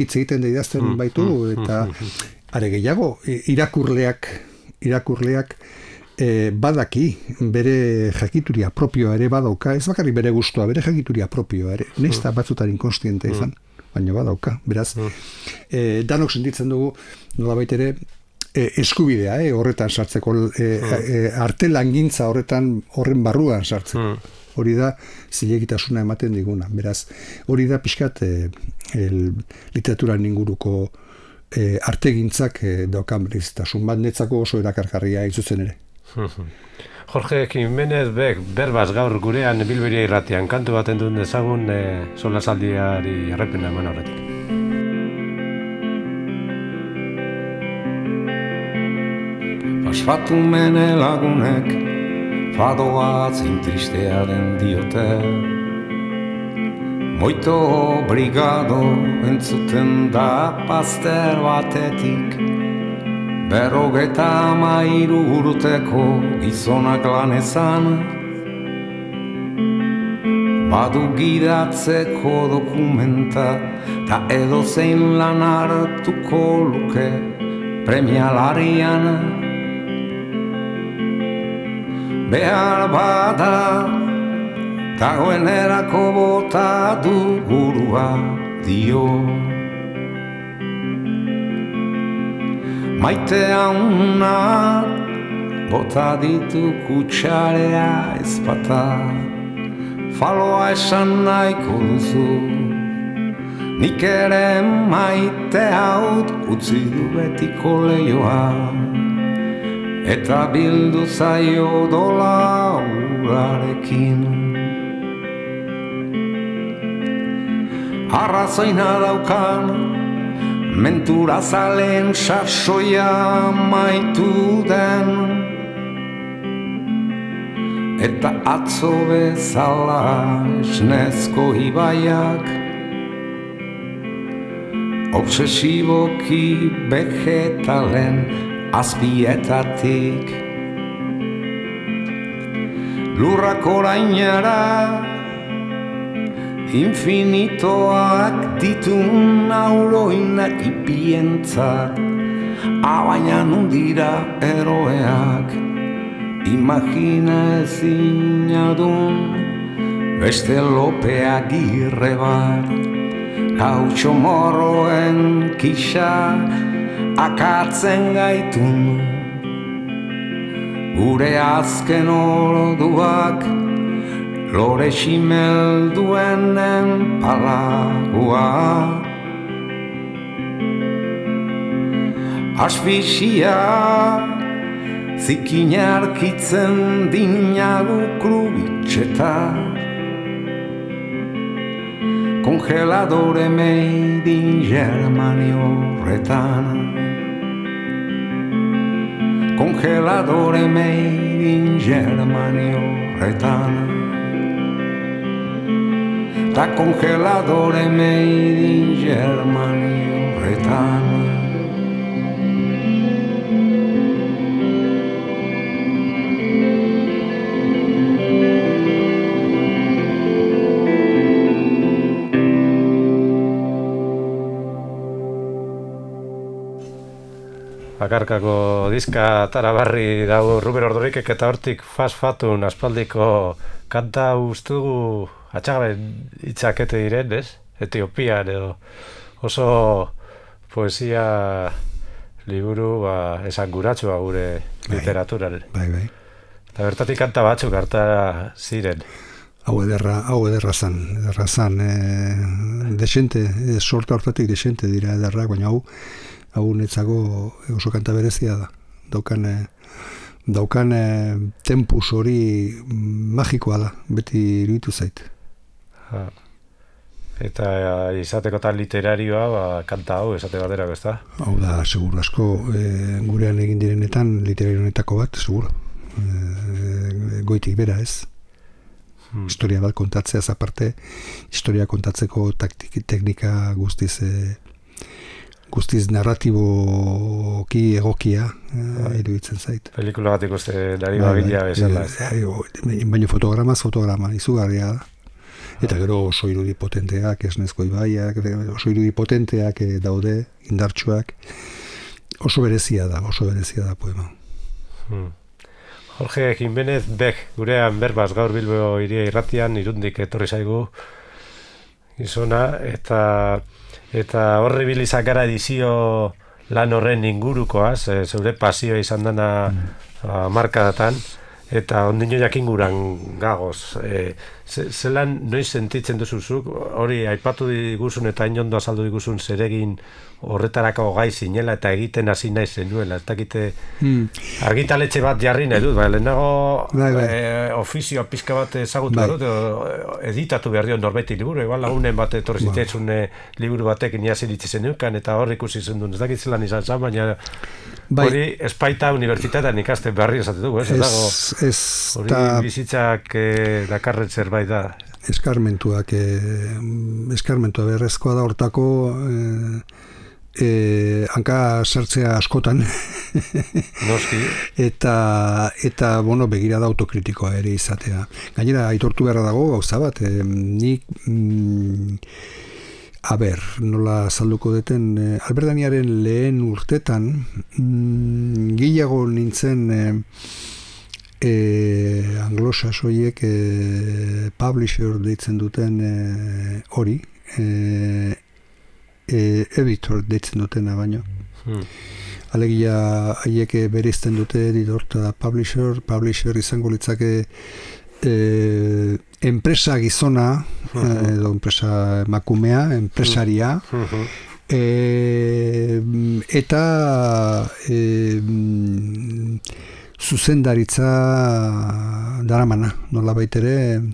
hitz egiten da idazten baitu, eta are gehiago, irakurleak badaki bere jakituria propioa ere badauka, ez bakarrik bere gustua, bere jakituria propioa ere, nesta batzutan inkonstiente izan, baina badauka, beraz. Danok sentitzen dugu, nolabait ere, eskubidea, horretan sartzeko, artelangintza horren barruan sartzeko. Hori da zilegitasuna ematen diguna. Beraz, hori da pixkat literaturan inguruko artegintzak daukan berezitasun bat, netzako oso erakargarria izutzen ere. Jorge Jimenez berbaz gaur gurean Bilberia irratian kantu baten duen dezagun solasaldiari errepena eman horretik. Asfatu mene lagunek fadoa zein tristea den diote, moito brigado entzuten da paster batetik, 53 urteko gizonak lan ezan, badu gidatzeko dokumenta, ta edozein lan hartuko luke premialarian. Behar bada, dagoenerako bota du burua dio. Maite hauna, bota ditu kutsarea ezpata, faloa esan nahiko duzu, nik ere maite haut utzi du betiko leioa, eta bildu zaio dola urarekin. Arrazoina daukan, mentura zalen sasoia maitu den, eta atzo bezala esnezko ibaiak obsesiboki vegetalen azpietatik lurrak orainara infinitoak ditun auroinak ipientzat, abaina nundira eroeak imagina ezinadun beste Lopeagirre bat, gautxo morroen kisa akatzen gaitun, gure azken orduak lore ximelduenen palagua. Asfixia zikinarkitzen dinagu krubitxeta, kongeladore made in Germany horretan, kongeladore made in Germany horretan, ta kongeladore made in Germany horretan. Bakarkako diska tarabarri dago Ruben Ordorikek eta hortik Fasfatun aspaldiko kanta ustugu atxagabe hitzakete diren, ez? Etiopian edo oso poesia liburu esanguratsua gure literaturan. Bai. Eta bertatik kanta batzuk harta ziren. Hau ederra zan, desente, sorta hortatik desente dira ederrak, baina hau netzako oso kanta berezia da. Daukan tempus hori magikoa da, beti iruditu zait. Eta izateko tan literarioa, kanta hau esate baterako, ez da? Hau da, seguru asko, gurean egin direnetan literarionetako bat, seguru. Goitik bera, ez? Historia bat kontatzea aparte, historia kontatzeko teknika guztiz narratiboki egokia iruditzen zait. Pelikula bat ikuste dari bagila bezala, ez da? Baina fotograma, izugarria da. Eta gero oso irudi potenteak, esnezko ibaiak, oso irudi potenteak daude, indartsuak. Oso berezia da poema. Jorge Jimenez Bek, gurean berbaz gaur Bilbo Hiria Irratian Irundik etorri zaigu gizona, eta horri bilizak gara edizio lan horren ingurukoaz, zeure pasioa izan dana markadatan, eta ondino jakinguran gagoz. Zelan noiz sentitzen duzuzuk, hori aipatu diguzun eta inondo azaldu diguzun zeregin horretarako gai zinela eta egiten hasi nahi zenuela, ez dakite argitaletxe bat jarri nahi dut, lehenago ofizioa pizka bat ezagutu dut, editatu behar dio norbeti liburu, igual lagunen bat etorri zitzaizun liburu batekin hasi ditzen nukan, eta hor ikusi zen duen, ez dakit zelan izan zan, baina hori espaita unibertsitatean ikasten beharri esate dugu, hori bizitzak dakarren zerbait da. Eskarmentua berrezkoa da hortako hanka sartzea askotan. Noski. Eta bueno, begirada autokritikoa ere izatea. Gainera, aitortu beharra dago, gauza bat, nik, nola salduko deten, Alberdaniaren lehen urtetan, gehiago nintzen anglosasoiek publisher deitzen duten hori, editor deitzen dutena baino. Alegia haiek bereizten dute editor eta publisher izango litzake enpresa gizona, edo enpresa emakumea, enpresaria, eta zuzendaritza daramana, nola baitere,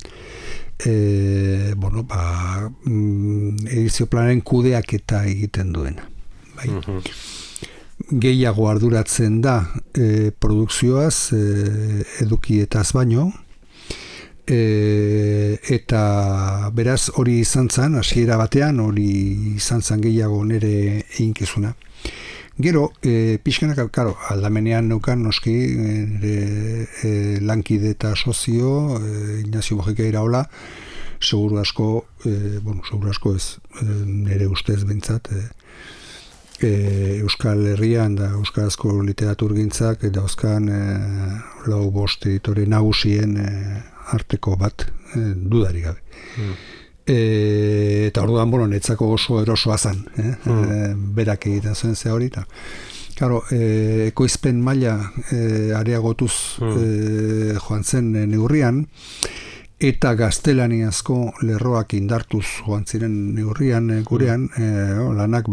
edizio planaren kudeaketa egiten duena. Bai. Gehiago arduratzen da produkzioaz, edukietaz baino, eta beraz hori izan zen, hasiera batean hori izan zen gehiago nire eginkizuna. Gero, pixkanak, aldamenean neukan noski, lankide eta sozio, Ignacio Mojica Iraola, seguru asko ez, nire ustez bintzat, Euskal Herrian da euskarazko literaturgintzak dauzkan lau bost editore nagusien arteko bat, dudarik gabe. Eta orduan, netzako oso erosoa zen, berak egiten zuen ze hori, eta claro, ekoizpen maila areagotuz joan zen neurrian, eta gaztelaniazko lerroak indartuz joan ziren neurrian gurean, lanak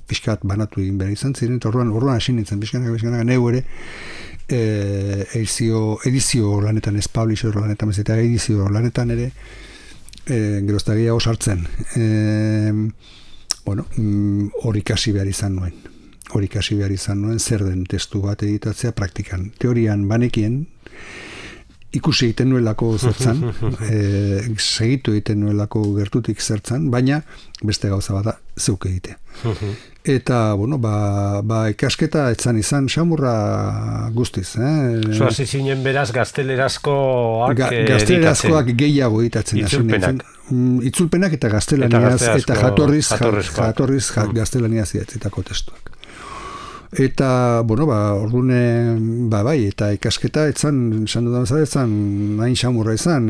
pixkat banatu egin behar izan ziren, eta orduan hasi nintzen, pixkanak neu ere, edizio lanetan, ez publisher lanetan, eta edizio lanetan ere, gerozta gehiago sartzen. Hori kasi behar izan nuen, zer den testu bat editatzea praktikan. Teorian banekien, ikusi egiten nuelako zertzan, segitu egiten nuelako gertutik zertzan, baina beste gauza bat da, zeuk egitea. Eta, ikasketa etzan izan xamurra guztiz. Zoaz izinen beraz gaztelerazkoak gaztelerazkoak gehiago editatzen. Itzulpenak eta gaztelaniaz, eta jatorriz gaztelaniaz idatzitako testuak. Eta, ordune, bai, eta ikasketa etzan hain xamurra izan,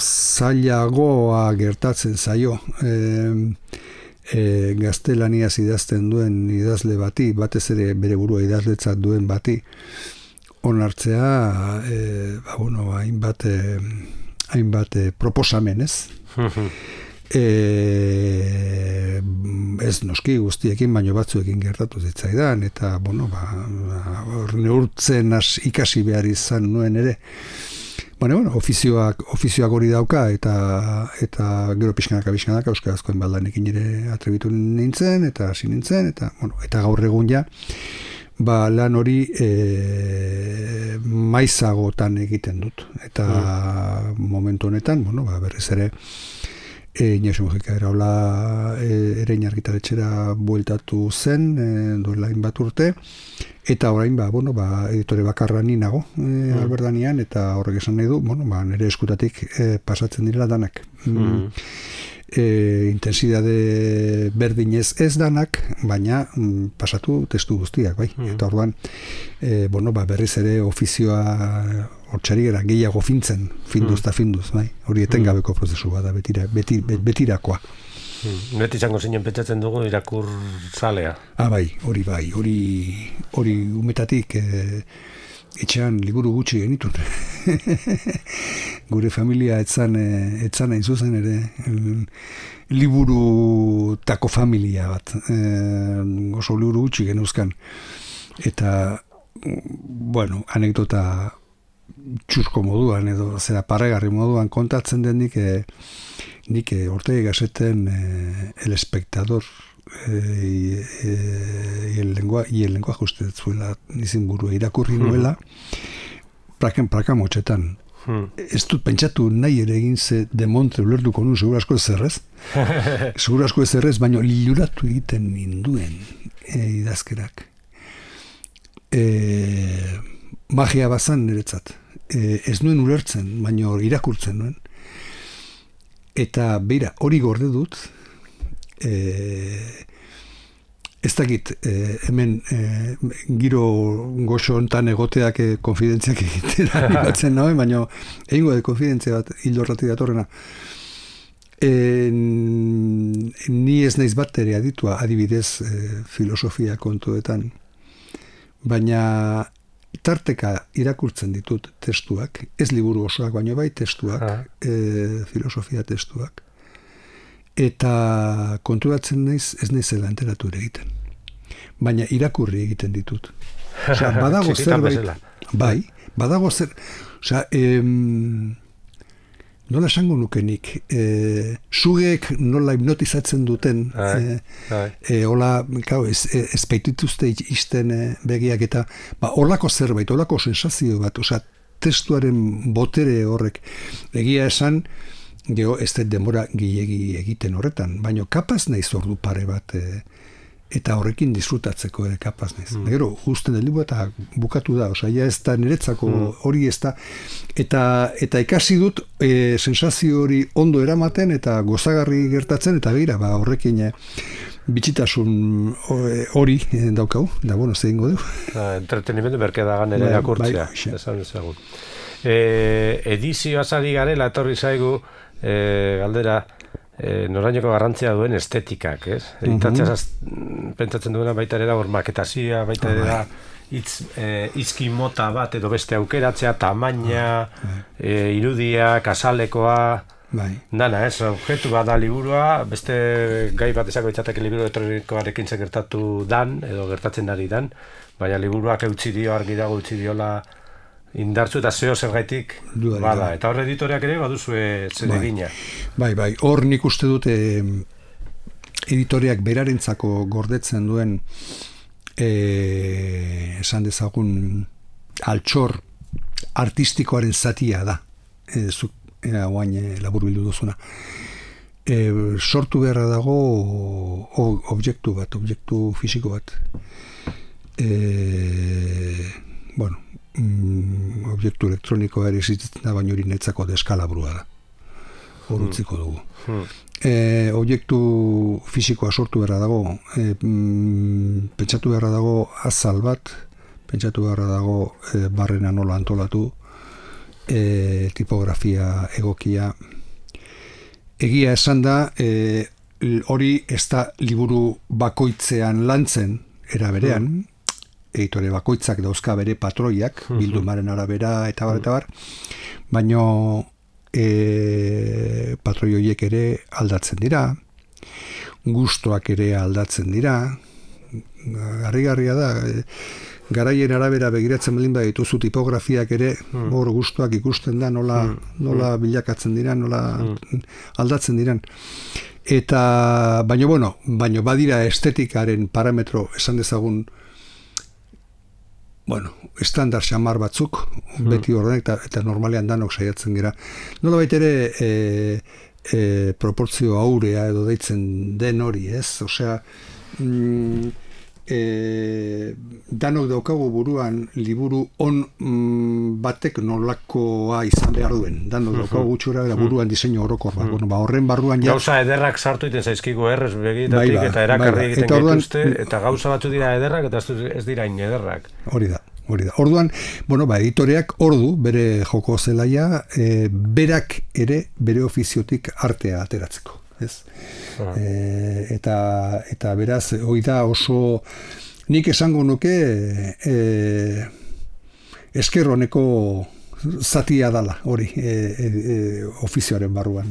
zailagoa gertatzen zaio, gaztelaniaz idazten duen idazle bati, batez ere bere burua idazletzat duen bati, onartzea, hainbat proposamen, ez? Ez noski guztiekin, baino batzuekin gertatu zitzaidan, eta, neurtzen ikasi behar izan nuen ere. Ofizioak hori dauka, eta gero pixkanaka euskarazkoen baldanekin ere atrebitu nintzen, eta hasi nintzen, eta gaur egun ja, lan hori maizagotan egiten dut. Eta momentu honetan, berriz ere, Ignacio Mojica Iraola Erein argitaletxera bueltatu zen, duela hainbat urte, eta orain, editore bakarra ni nago Alberdanian, eta horrek esan nahi du, nire eskutatik pasatzen dira danak. Intensidade berdinez ez danak, baina pasatu testu guztiak, bai. Eta orduan, berriz ere ofizioa hortxari gara gehiago finduz, bai. Hori etengabeko prozesu bada, betirakoa. Beti izango zinen pentsatzen dugu irakur zalea. Hori umetatik etxean liburu gutxi genitun. Gure familia etzan hain zuzen ere liburu tako familia bat. Oso liburu gutxi genuzkan. Eta, anekdota txurko moduan edo zera parregarri moduan kontatzen den nik Ortega y Gasseten El Espectador y el lenguaje uste zuela izin burua irakurri nuela praka motxetan. ez dut pentsatu nahi ere egin ze demontre ulertuko nun, segura asko ez errez. Segura asko ez errez, baina liluratu egiten ninduen idazkerak. Magia bazan niretzat. Ez nuen ulertzen, baina irakurtzen nuen. Eta beira, hori gorde dut, ez dakit, hemen giro goxo hontan egoteak konfidentziak egitera animatzen nahi, baina egingo de konfidentzia bat hildorrati datorrena. Ni ez naiz bat ere aditua, adibidez filosofia kontuetan, baina tarteka irakurtzen ditut testuak, ez liburu osoak, baina bai testuak, filosofia testuak. Eta konturatzen naiz, ez naizela enteratu ere egiten. Baina irakurri egiten ditut. Osea, badago zerbait. Bai, badago zer. Osea, nola esango nukenik, sugeek nola hipnotizatzen duten, hola, ez baitituzte izten begiak eta, holako zerbait, holako sensazio bat, osea, testuaren botere horrek, egia esan, gero ez dut denbora gehiegi egiten horretan, baina kapaz naiz ordu pare bat eta horrekin disfrutatzeko kapaz naiz. Gero, usten delibu eta bukatu da, osea, ja ez da niretzako hori ez da, eta ikasi dut sensazio hori ondo eramaten eta gozagarri gertatzen, eta begira, horrekin bitxitasun hori daukau, da, bueno, zein godu. Entretenimendu berkedagan ere irakurtzea, esan ezagun. Edizioa zari garela, etorri zaigu, galdera, norainoko garrantzia duen estetikak, ez? Editatzea pentsatzen duena baita ere da, maketazioa, baita ere da, izki mota bat edo beste aukeratzea, tamaina, irudia, kasalekoa, dana, ez? Objektu bat da liburua, beste gai bat esako ditzateke liburu elektronikoarekin gertatu dan, edo gertatzen ari dan, baina liburuak eutzi dio, argi dago eutzi diola, indartzu eta zeo zergaitik bada. Eta hor editoreak ere baduzue zeregina. Bai, hor nik uste dute editoreak berarentzako gordetzen duen esan dezagun altxor artistikoaren zatia da. Zuk guain labur bildu duzuna. Sortu beharra dago objektu bat, objektu fisiko bat. Bueno, objektu elektronikoa ere existitzen da, baina hori netzako deskalabrua da. Hor utziko dugu. Objektu fisikoa sortu beharra dago, pentsatu beharra dago azal bat, pentsatu beharra dago barrena nola antolatu, tipografia egokia. Egia esan da, hori ez da liburu bakoitzean lantzen, era berean, editore bakoitzak dauzka bere patroiak, bildumaren arabera eta bar, baina patroi horiek ere aldatzen dira, gustoak ere aldatzen dira, harrigarria da, garaien arabera begiratzen baldin badituzu tipografiak ere, hor gustoak ikusten da, nola bilakatzen dira, nola aldatzen diran. Eta, baina badira estetikaren parametro, esan dezagun, estandar xamar batzuk, beti horrenek, eta normalean danok saiatzen gira. Nola baita ere proportzio aurea edo deitzen den hori, ez? Osea, danok daukagu buruan liburu on batek nolakoa izan behar duen. Danok daukagu gutxura buruan diseinu orokor bat. Horren barruan ja... Gauza ederrak sartu iten zaizkigu errez begitatik eta erakarri egiten gaituzte, eta gauza batzu dira ederrak eta ez dira in ederrak. Hori da. Orduan, editoreak ordu, bere joko zelaia, berak ere bere ofiziotik artea ateratzeko. Eta beraz, hori da oso, nik esango nuke esker honeko zatia dala, hori, ofizioaren barruan.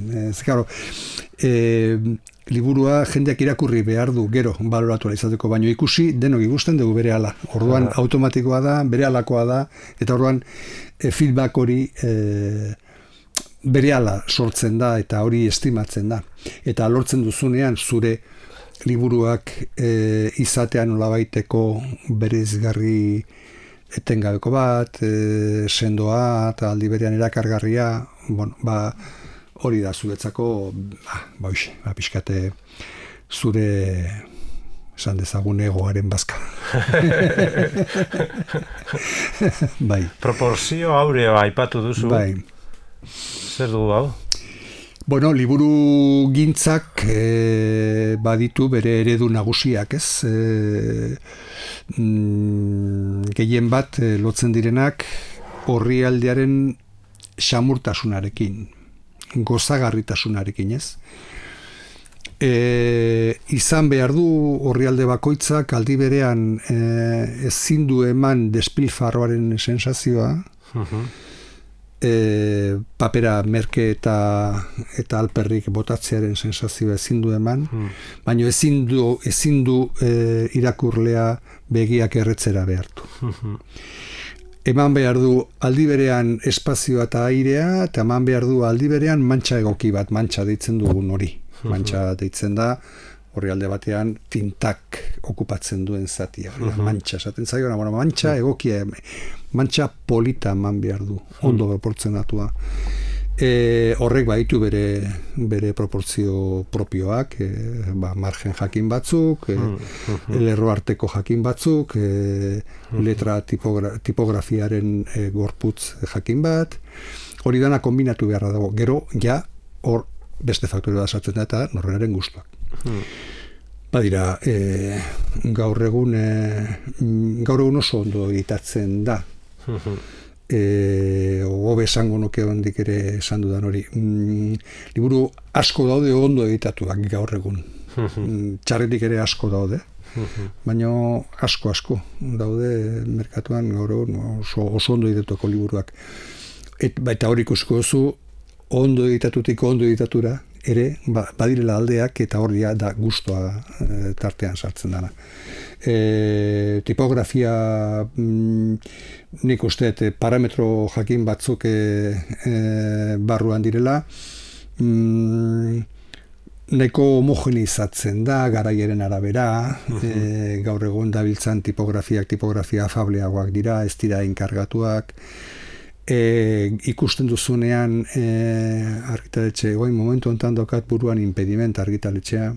Liburua jendeak irakurri behar du gero baloratu izateko, baino ikusi denok ikusten dugu berehala. Orduan automatikoa da, berehalakoa da, eta orduan feedback hori berehala sortzen da eta hori estimatzen da. Eta lortzen duzunean zure liburuak izatean nolabaiteko bereizgarri etengabeko bat, sendoa, eta aldi berean erakargarria, bueno, hori da zuretzako, pixkate zure, esan dezagun egoaren bazka. Bai. Proporzio aureo aipatu duzu. Bai. Zer du hau? Bueno, liburu gintzak baditu bere eredu nagusiak, ez? Gehien bat lotzen direnak orrialdearen xamurtasunarekin, gozagarritasunarekin, ez? Izan behar du orrialde bakoitzak aldi berean ezin du eman despilfarroaren sensazioa, papera merke eta alperrik botatzearen sensazioa ezin du eman, baina ezin du irakurlea begiak erretzera behartu. Eman behar du aldi berean espazioa eta airea, eta eman behar du aldi berean mantxa egoki bat, mantxa deitzen dugun hori. Mantxa deitzen da, orrialde batean tintak okupatzen duen zatia. Mantxa, esaten zaio, mantxa egokia, mantxa polita eman behar du, ondo proportzionatua. Horrek baditu bere proportzio propioak, margen jakin batzuk, lerro arteko jakin batzuk, letra tipografiaren gorputz jakin bat, hori dana kombinatu beharra dago. Gero, ja, hor beste faktore bat sartzen da eta norberaren gustuak. Badira, gaur egun oso ondo editatzen da. Hobe esango nuke hondik ere esan dudan hori. Liburu asko daude ondo editatuak gaur egun. Txarretik ere asko daude. Baina asko daude merkatuan gaur egun oso ondo editatuko liburuak. Eta hori ikusiko duzu, ondo editatutik ondo editatura ere badirela aldeak eta hori da gustoa tartean sartzen dana. Tipografia nik uste parametro jakin batzuk barruan direla, nahiko homogenizatzen da garaiaren arabera, gaur egun dabiltzan tipografia afableagoak dira, ez dira enkargatuak, ikusten duzunean argitaletxe, goin momentu honetan dokat buruan impediment argitaletxea,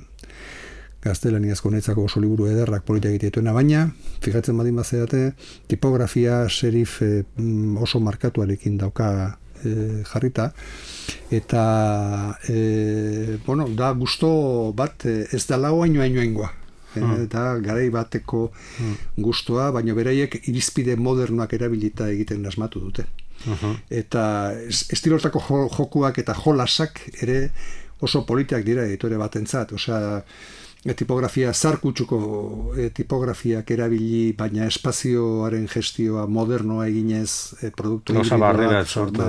gaztelaniazko netzako oso liburu ederrak politak egitetuena, baina, fijatzen badin bazedate, tipografia serif oso markatuarekin dauka jarrita, eta da gusto bat ez da lau hainoainoengoa. Eta garai bateko gustoa, baina beraiek irizpide modernoak erabilita egiten asmatu dute. Eta estilortako jokuak eta jolasak ere oso politak dira editore batentzat. Osea, tipografia zarkutsuko tipografiak erabili, baina espazioaren gestioa modernoa eginez produktu híbrido bat sortu.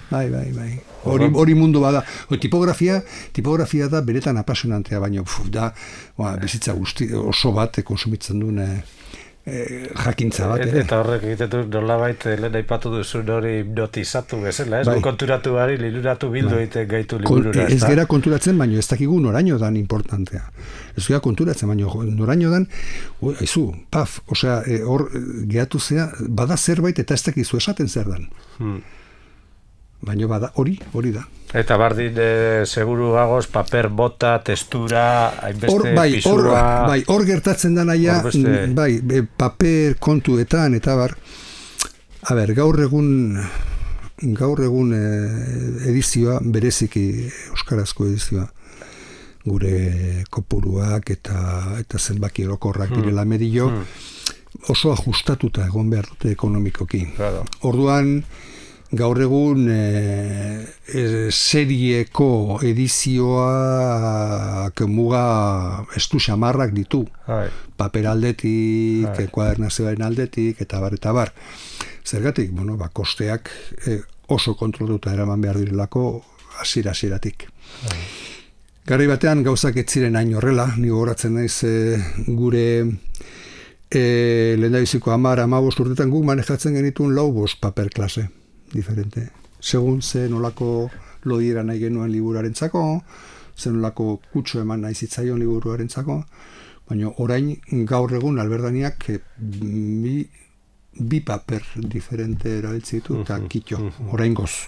Bai. Hori mundu bada. Tipografia da beretan apasionantea, baina da bizitza guzti oso bat konsumitzen duen jakintza bat. Eta horrek egitetu nolabait lehen aipatu duzu hori hipnotizatu bezala, ez? Konturatu bari, liluratu bildu egiten gaitu liburura. Ez gera konturatzen, baina ez dakigu noraino dan importantea. Ez gera konturatzen, baina noraino dan, aizu, paf, osea, hor gehatu zea, bada zerbait eta ez dakizu esaten zer dan. Baina bada, hori da. Eta bardin, seguru gagoz, paper bota, textura, hainbeste pisua... Hor gertatzen da naia, paper kontuetan, eta gaur egun edizioa, bereziki euskarazko edizioa, gure kopuruak eta zenbaki erokorrak direla medio, oso ajustatuta egon behar dute ekonomikoki. Orduan, gaur egun serieko edizioak muga estu xamarrak ditu. Paper aldetik, kuadernazioaren aldetik, eta bar. Zergatik, kosteak oso kontroluta eraman behar direlako hasieratik. Garai batean gauzak ez ziren hain horrela, ni gogoratzen naiz gure lehendabiziko 10-15 urtetan guk manejatzen genituen 4-5 paper klase diferente. Segun ze nolako lodiera nahi genuen liburuarentzako, ze nolako kutxo eman nahi zitzaion liburuarentzako, baina orain gaur egun Alberdaniak bi paper diferente erabiltzen ditu, eta kitxo, oraingoz.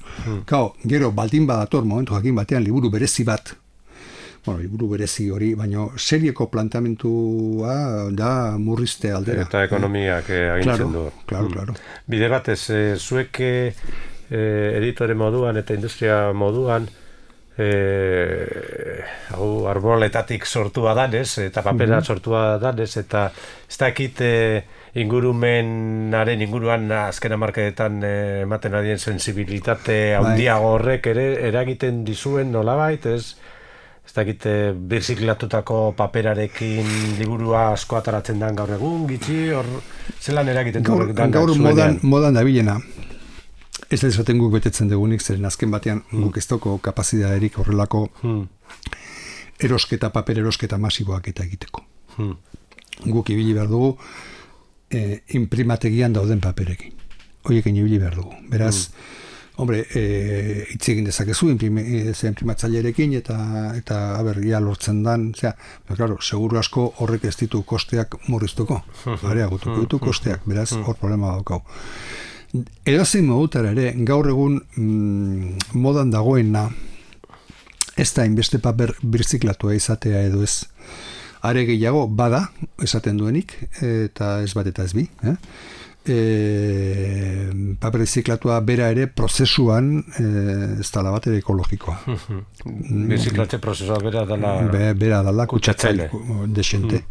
Gero, baldin badator, momentu jakin batean, liburu berezi bat, liburu berezi hori, baina serieko plantamentua da murrizte aldera. Eta ekonomiak agintzen du. Claro. Bide batez, zuek editore moduan eta industria moduan, arboletatik sortua danez, eta papera sortua danez, eta ez dakit ingurumenaren inguruan azken hamarkadetan ematen adien sensibilitate handiago horrek ere eragiten dizuen nolabait, ez dakit birziklatutako paperarekin liburua asko ataratzen den gaur egun, gitxi, zelan eragiten du horrek dan? Gaur modan dabilena. Ez da esaten guk betetzen dugunik, zeren azken batean guk ez doko kapazidaderik horrelako paper erosketa masiboak eta egiteko. Guk ibili behar dugu imprimategian dauden paperekin. Horiekin ibili behar dugu. Beraz, hitz egin dezakezu imprimatzailerekin eta ia lortzen dan, seguru asko horrek ez ditu kosteak murriztuko. Areagutuko ditu kosteak, beraz, hor problema daukau. Edozein modutara ere, gaur egun modan dagoena ez da inbeste paper birziklatua izatea edo ez. Are gehiago, bada, esaten duenik, eta ez bat eta ez bi. Paper birziklatua bera ere prozesuan ez dala bat ere ekologikoa. Birziklatze prozesua bera dala kutsatzaile desente.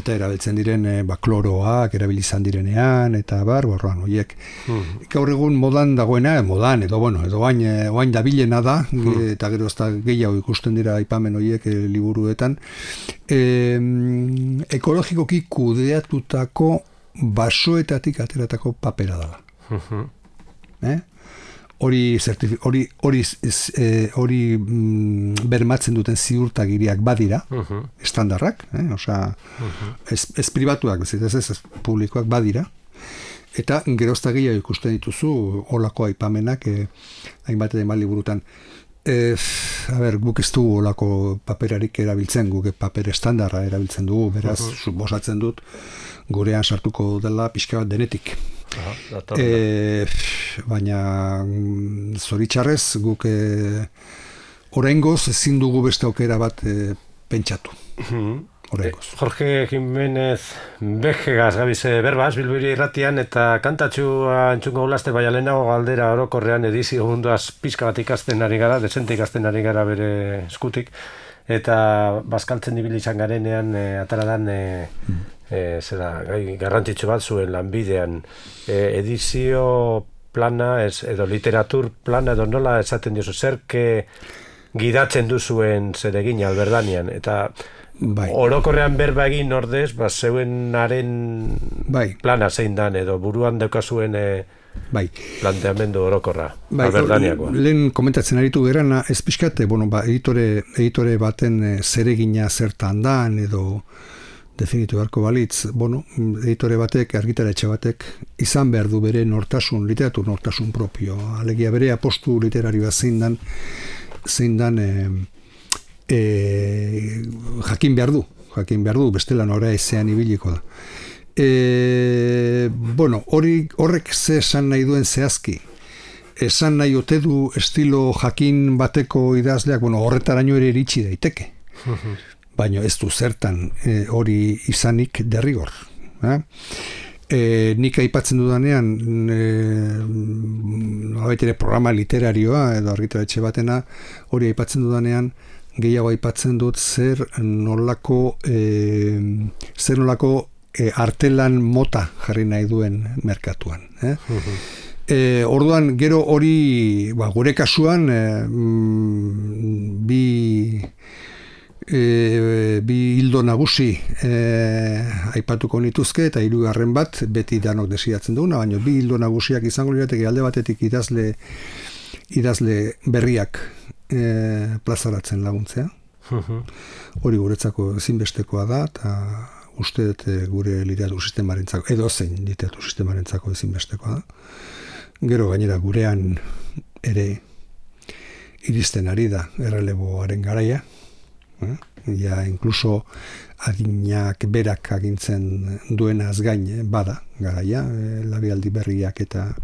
Eta erabiltzen diren kloroak erabilizan direnean eta borroan horiek. Gaur egun modan dagoena, edo oain dabilena da, eta gero ez da gehiago ikusten dira aipamen horiek liburuetan, ekologikoki kudeatutako basoetatik ateratako papera dela. Hori bermatzen duten ziurtagiriak badira, estandarrak, ez pribatuak, ez publikoak badira, eta gerozta gehiago ikusten dituzu holako aipamenak hainbat edo liburutan. Guk ez dugu olako paperarik erabiltzen, guk paper estandarra erabiltzen dugu, beraz, suposatzen dut, gurean sartuko dela pixka bat denetik. Baina zoritxarrez guk oraingoz ezin dugu beste aukera bat pentsatu. Jorge Jiménez Bejegas gabize berbaz, Bilbiri irratian, eta kantatxua entzungo gulazte baina lehenago galdera orokorrean edizio munduaz pixka bat ikasten ari gara, desente ikasten ari gara bere eskutik, eta bazkaltzen ibili izan garenean ataradan gai garrantzitsu bat zuen lanbidean edizio plana edo literatur plana edo nola esaten diozu, zerke gidatzen duzuen zeregin alberdanian, eta orokorrean berba egin ordez, zeuenaren plana zein dan, edo buruan daukazuen planteamendu orokorra, alberdaniakoa. Lehen komentatzen aritu gerana, ez pixkate, editore baten zeregina zertan dan, edo definitu beharko balitz, editore batek, argitaletxe batek, izan behar du bere nortasun, literatur nortasun propio, alegia bere apostu literarioa zein dan jakin behar du, bestela nora ezean ibiliko da. Horrek ze esan nahi duen zehazki, esan nahi ote du estilo jakin bateko idazleak, horretaraino ere iritsi daiteke. Baina ez du zertan hori izanik derrigor. Nik aipatzen dudanean nolabait programa literarioa edo argitaletxe batena, hori aipatzen dudanean gehiago aipatzen dut zer nolako artelan mota jarri nahi duen merkatuan. Orduan gero hori gure kasuan bi hildo nagusi aipatuko nituzke, eta hirugarren bat beti danok desiatzen duguna, baina bi hildo nagusiak izango lirateke alde batetik idazle berriak plazaratzen laguntzea. Hori guretzako ezinbestekoa da, eta uste dut gure literatur sistemarentzako, edo zein literatur sistemarentzako ezinbestekoa da. Gero gainera gurean ere iristen ari da erreleboaren garaia, Ja, inkluso adinak berak agintzen duenaz gain, bada, garaia, labialdi berriak eta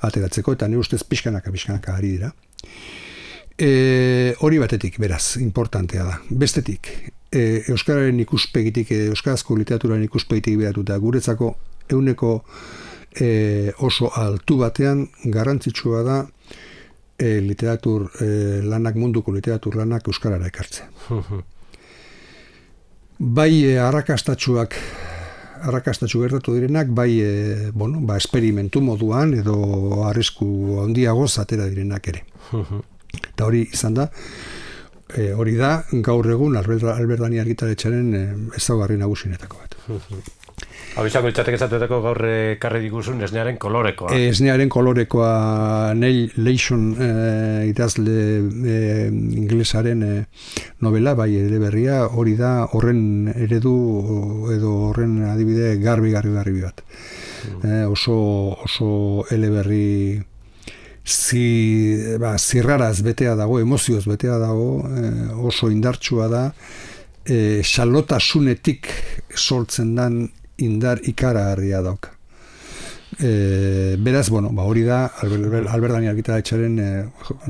ateratzeko, eta nire ustez pixkanaka ari dira. Hori batetik, beraz, importantea da. Bestetik, euskararen ikuspegitik, euskarazko literaturaren ikuspegitik beratuta, guretzako euneko oso altu batean garrantzitsua da munduko literatur lanak euskarara ekartzea. Bai arrakastatsu gertatu direnak, bai esperimentu moduan edo arrisku handiagoz atera direnak ere. Eta hori izan da, hori da gaur egun Albert Dani argitaletxearen ezaugarri nagusienetako bat. Hau izango izateko gaur karri diguzun esnearen kolorekoa. Esnearen kolorekoa Neil Leishon idazle inglesaren novela, bai eleberria, hori da horren eredu edo horren adibide garbi bat. Oso eleberri zirraraz betea dago, emozioz betea dago, oso indartsua da, xalotasunetik sortzen dan indar ikaragarria dauka. Beraz, hori da Albert Dani argitaletxearen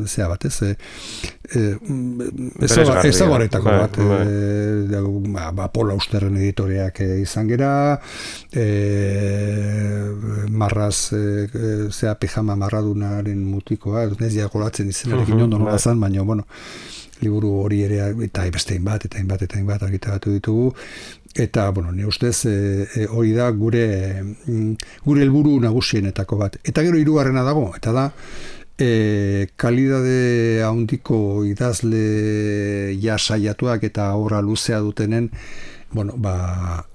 zea bat, ezaugarretako bat. Paul Austerren editoreak izan gera, marraz, pijama marradunaren mutikoa, ez dira golatzen izenarekin ondo nola zan, baina, liburu hori ere, eta beste hainbat argitaratu ditugu, eta, nire ustez, hori da gure helburu nagusienetako bat. Eta gero hirugarrena dago, eta da, kalidade handiko idazle saiatuak eta obra luzea dutenen,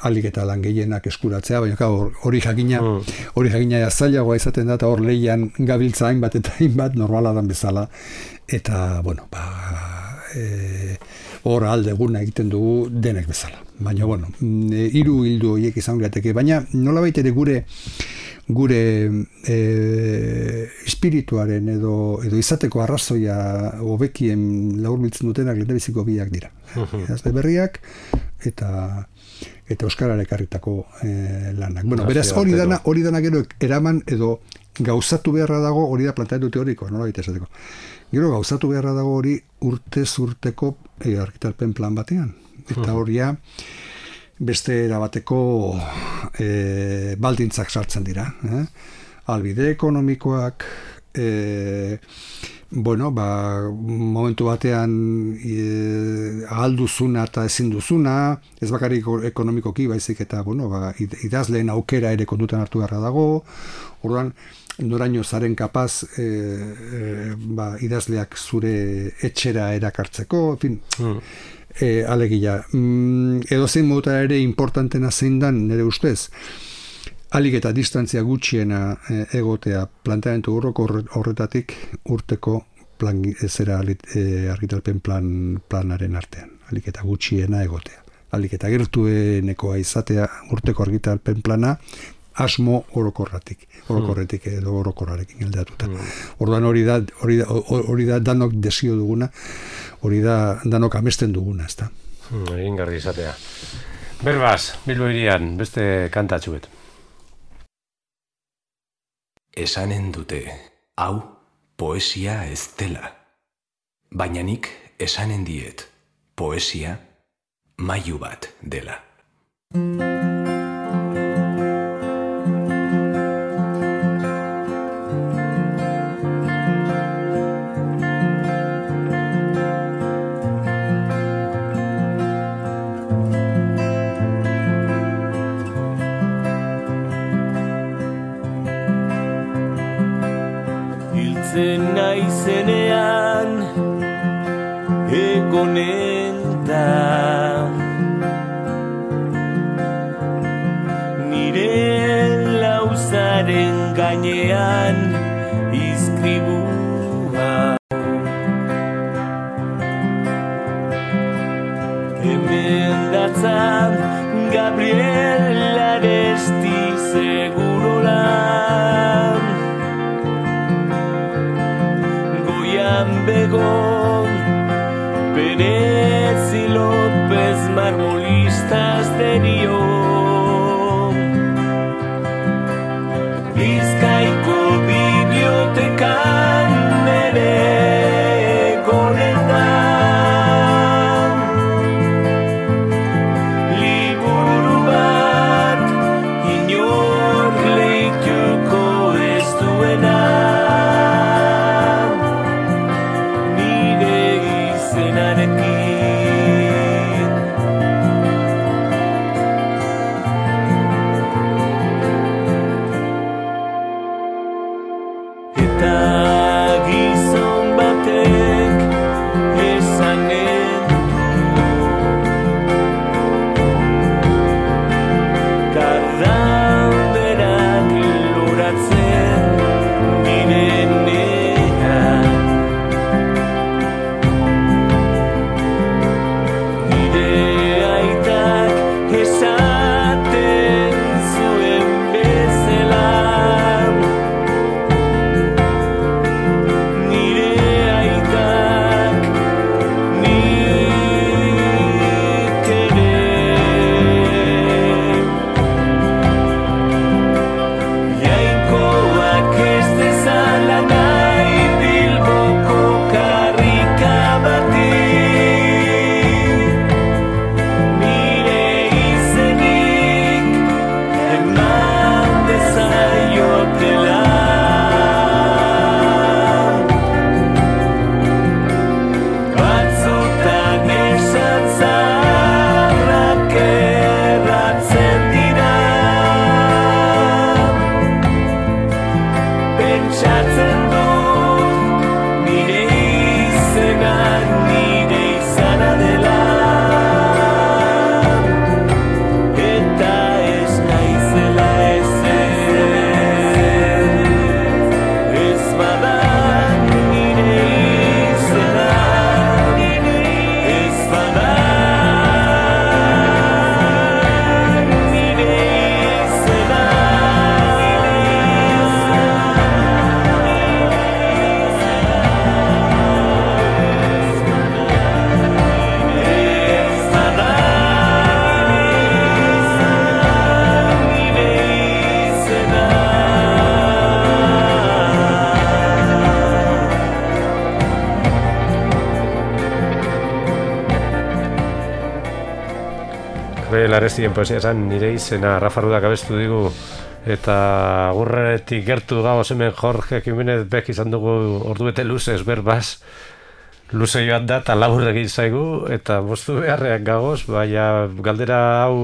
alik eta lan gehienak eskuratzea, baina hori jakina zailagoa izaten da, eta hor lehian gabiltza hainbat eta hainbat normala dan bezala, eta, hor aldeguna egiten dugu denek bezala. Baina, hiru hildu horiek izango lirateke, baina nolabait ere gure espirituaren edo izateko arrazoia hobekien laburbiltzen dutenak lehendabiziko biak dira. Idazle berriak eta euskarara ekarritako lanak. Beraz, hori dana gero eraman edo gauzatu beharra dago, hori da planteatu teorikoa, nolabait esateko. Gero gauzatu beharra dago hori urtez urteko argitalpen plan batean. Eta horia beste erabateko baldintzak sartzen dira. Albide ekonomikoak, momentu batean ahalduzuna eta ezin duzuna, ez bakarrik ekonomikoki, baizik eta idazleen aukera ere kontutan hartu beharra dago. Orduan, noraino zaren kapaz idazleak zure etxera erakartzeko, alegia. Edozein moduta ere importantena zein dan, nire ustez, alik eta distantzia gutxiena egotea planteamendu horretatik urteko argitalpen planaren artean. Alik eta gutxiena egotea. Alik eta gertuenekoa izatea urteko argitalpen plana, asmo orokorretik edo orokorrarekin aldeatuta. Orduan hori da danok desio duguna, hori da danok amesten duguna, ezta. Egingarri izatea. Berbaz, Bilbo hirian, beste kantatxuet. Esanen dute, hau poesia ez dela. Baina nik esanen diet, poesia mailu bat dela. Hiltzen naizenean egonen da nire lauzaren gainean izkribua. Hemen datzan Gabriel Aresti segurolan, Goian begon Perez Ilo gizon batek esanen karranderak loratzen direnean nire aitak esaten zuen bezala nire aitak nik ere jainkoak ez dezala nahi Bilboko karrika bati nire izenik eman dezaiotela batzutan esan zaharrak erratzen dira pentsatzen dut nire izena nire izana dela eta ez naizela ez bada nire izena ez bada nire izena Larestien poesia esan nire izena Rafa Rudak abestu digu eta agurretik gertu gagoz hemen Jorge Jimenez Bek izan dugu ordubete luzez berbaz luze joan da eta labur egin zaigu eta moztu beharrean gagoz baina galdera hau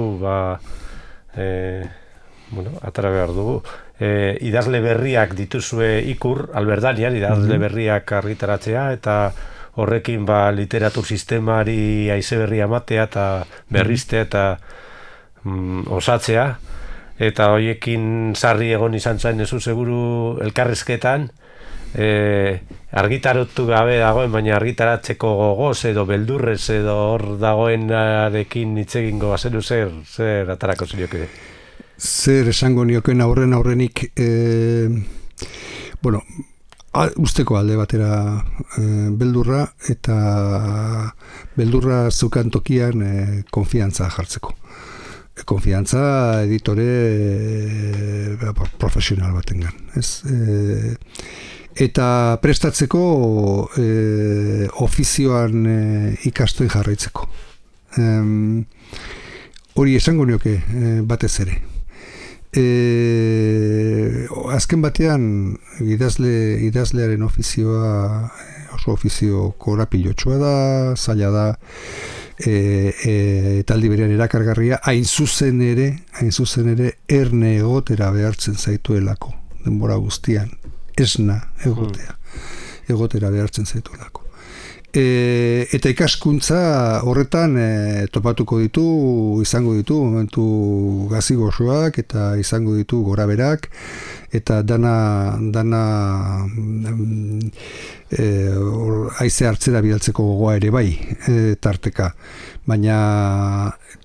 atara behar dugu idazle berriak dituzue ikur Alberdanian idazle berriak argitaratzea eta horrekin literatur sistemari haize berria ematea eta berriztea eta osatzea eta hoiekin sarri egon izan zain ezu seguru elkarrezketan argitaratu gabe dagoen baina argitaratzeko gogoz edo beldurrez edo hor dagoenarekin hitz egingo bazenu zer atarako zinioke? Zer esango nioken aurrenik usteko alde batera beldurra eta beldurra zukan tokian konfiantza jartzeko. Konfiantza editore profesional batengan, ez? Eta prestatzeko ofizioan ikasten jarraitzeko. Hori esango nioke batez ere. Azken batean idazlearen ofizioa oso ofizio korapilotxoa da, zaila da, eta aldi berean erakargarria, hain zuzen ere erne egotera behartzen zaituelako denbora guztian, esna egotera behartzen zaituelako. Eta ikaskuntza horretan topatuko izango ditu momentu gazigosoak eta izango ditu goraberak eta dana haize hartzera bidaltzeko gogoa ere bai tarteka, baina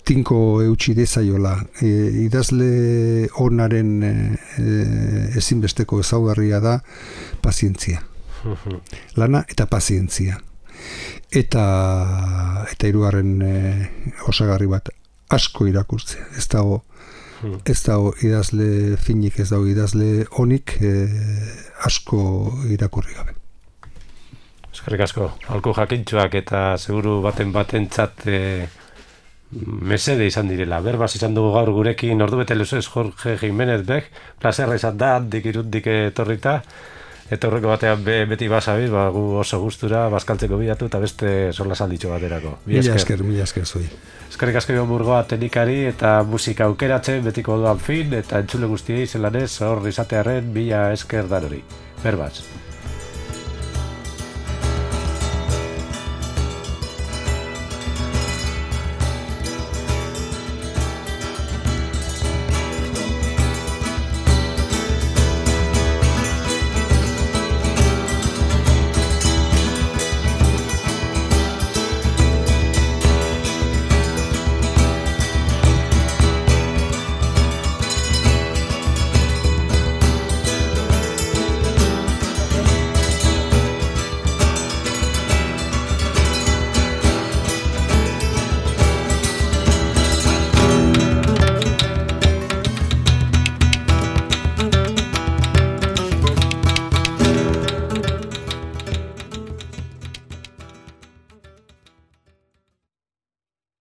tinko eutsi dezaiola idazle onaren ezinbesteko ezaugarria da pazientzia, lana eta pazientzia. Eta hirugarren osagarri bat asko irakurtzea. Ez dago idazle finik, ez dago idazle onik asko irakurri gabe. Eskerrik asko, aholku jakintxoak eta seguru batentzat mesede izan direla. Berbaz izan dugu gaur gurekin ordubete luzez Jorge Jimenez Bek, plazerra izan da, handik irundik etorrita. Eta horreko batean beti basabiz, gu oso gustura, bazkaltzeko bilatu eta beste sola salditxo baterako. Mila esker zui. Eskerrik asko Iban Burgoa teknikari eta musika aukeratzen betiko doan fin eta entzule guztiei zelanez hor izatearen mila esker danori. Berbaz.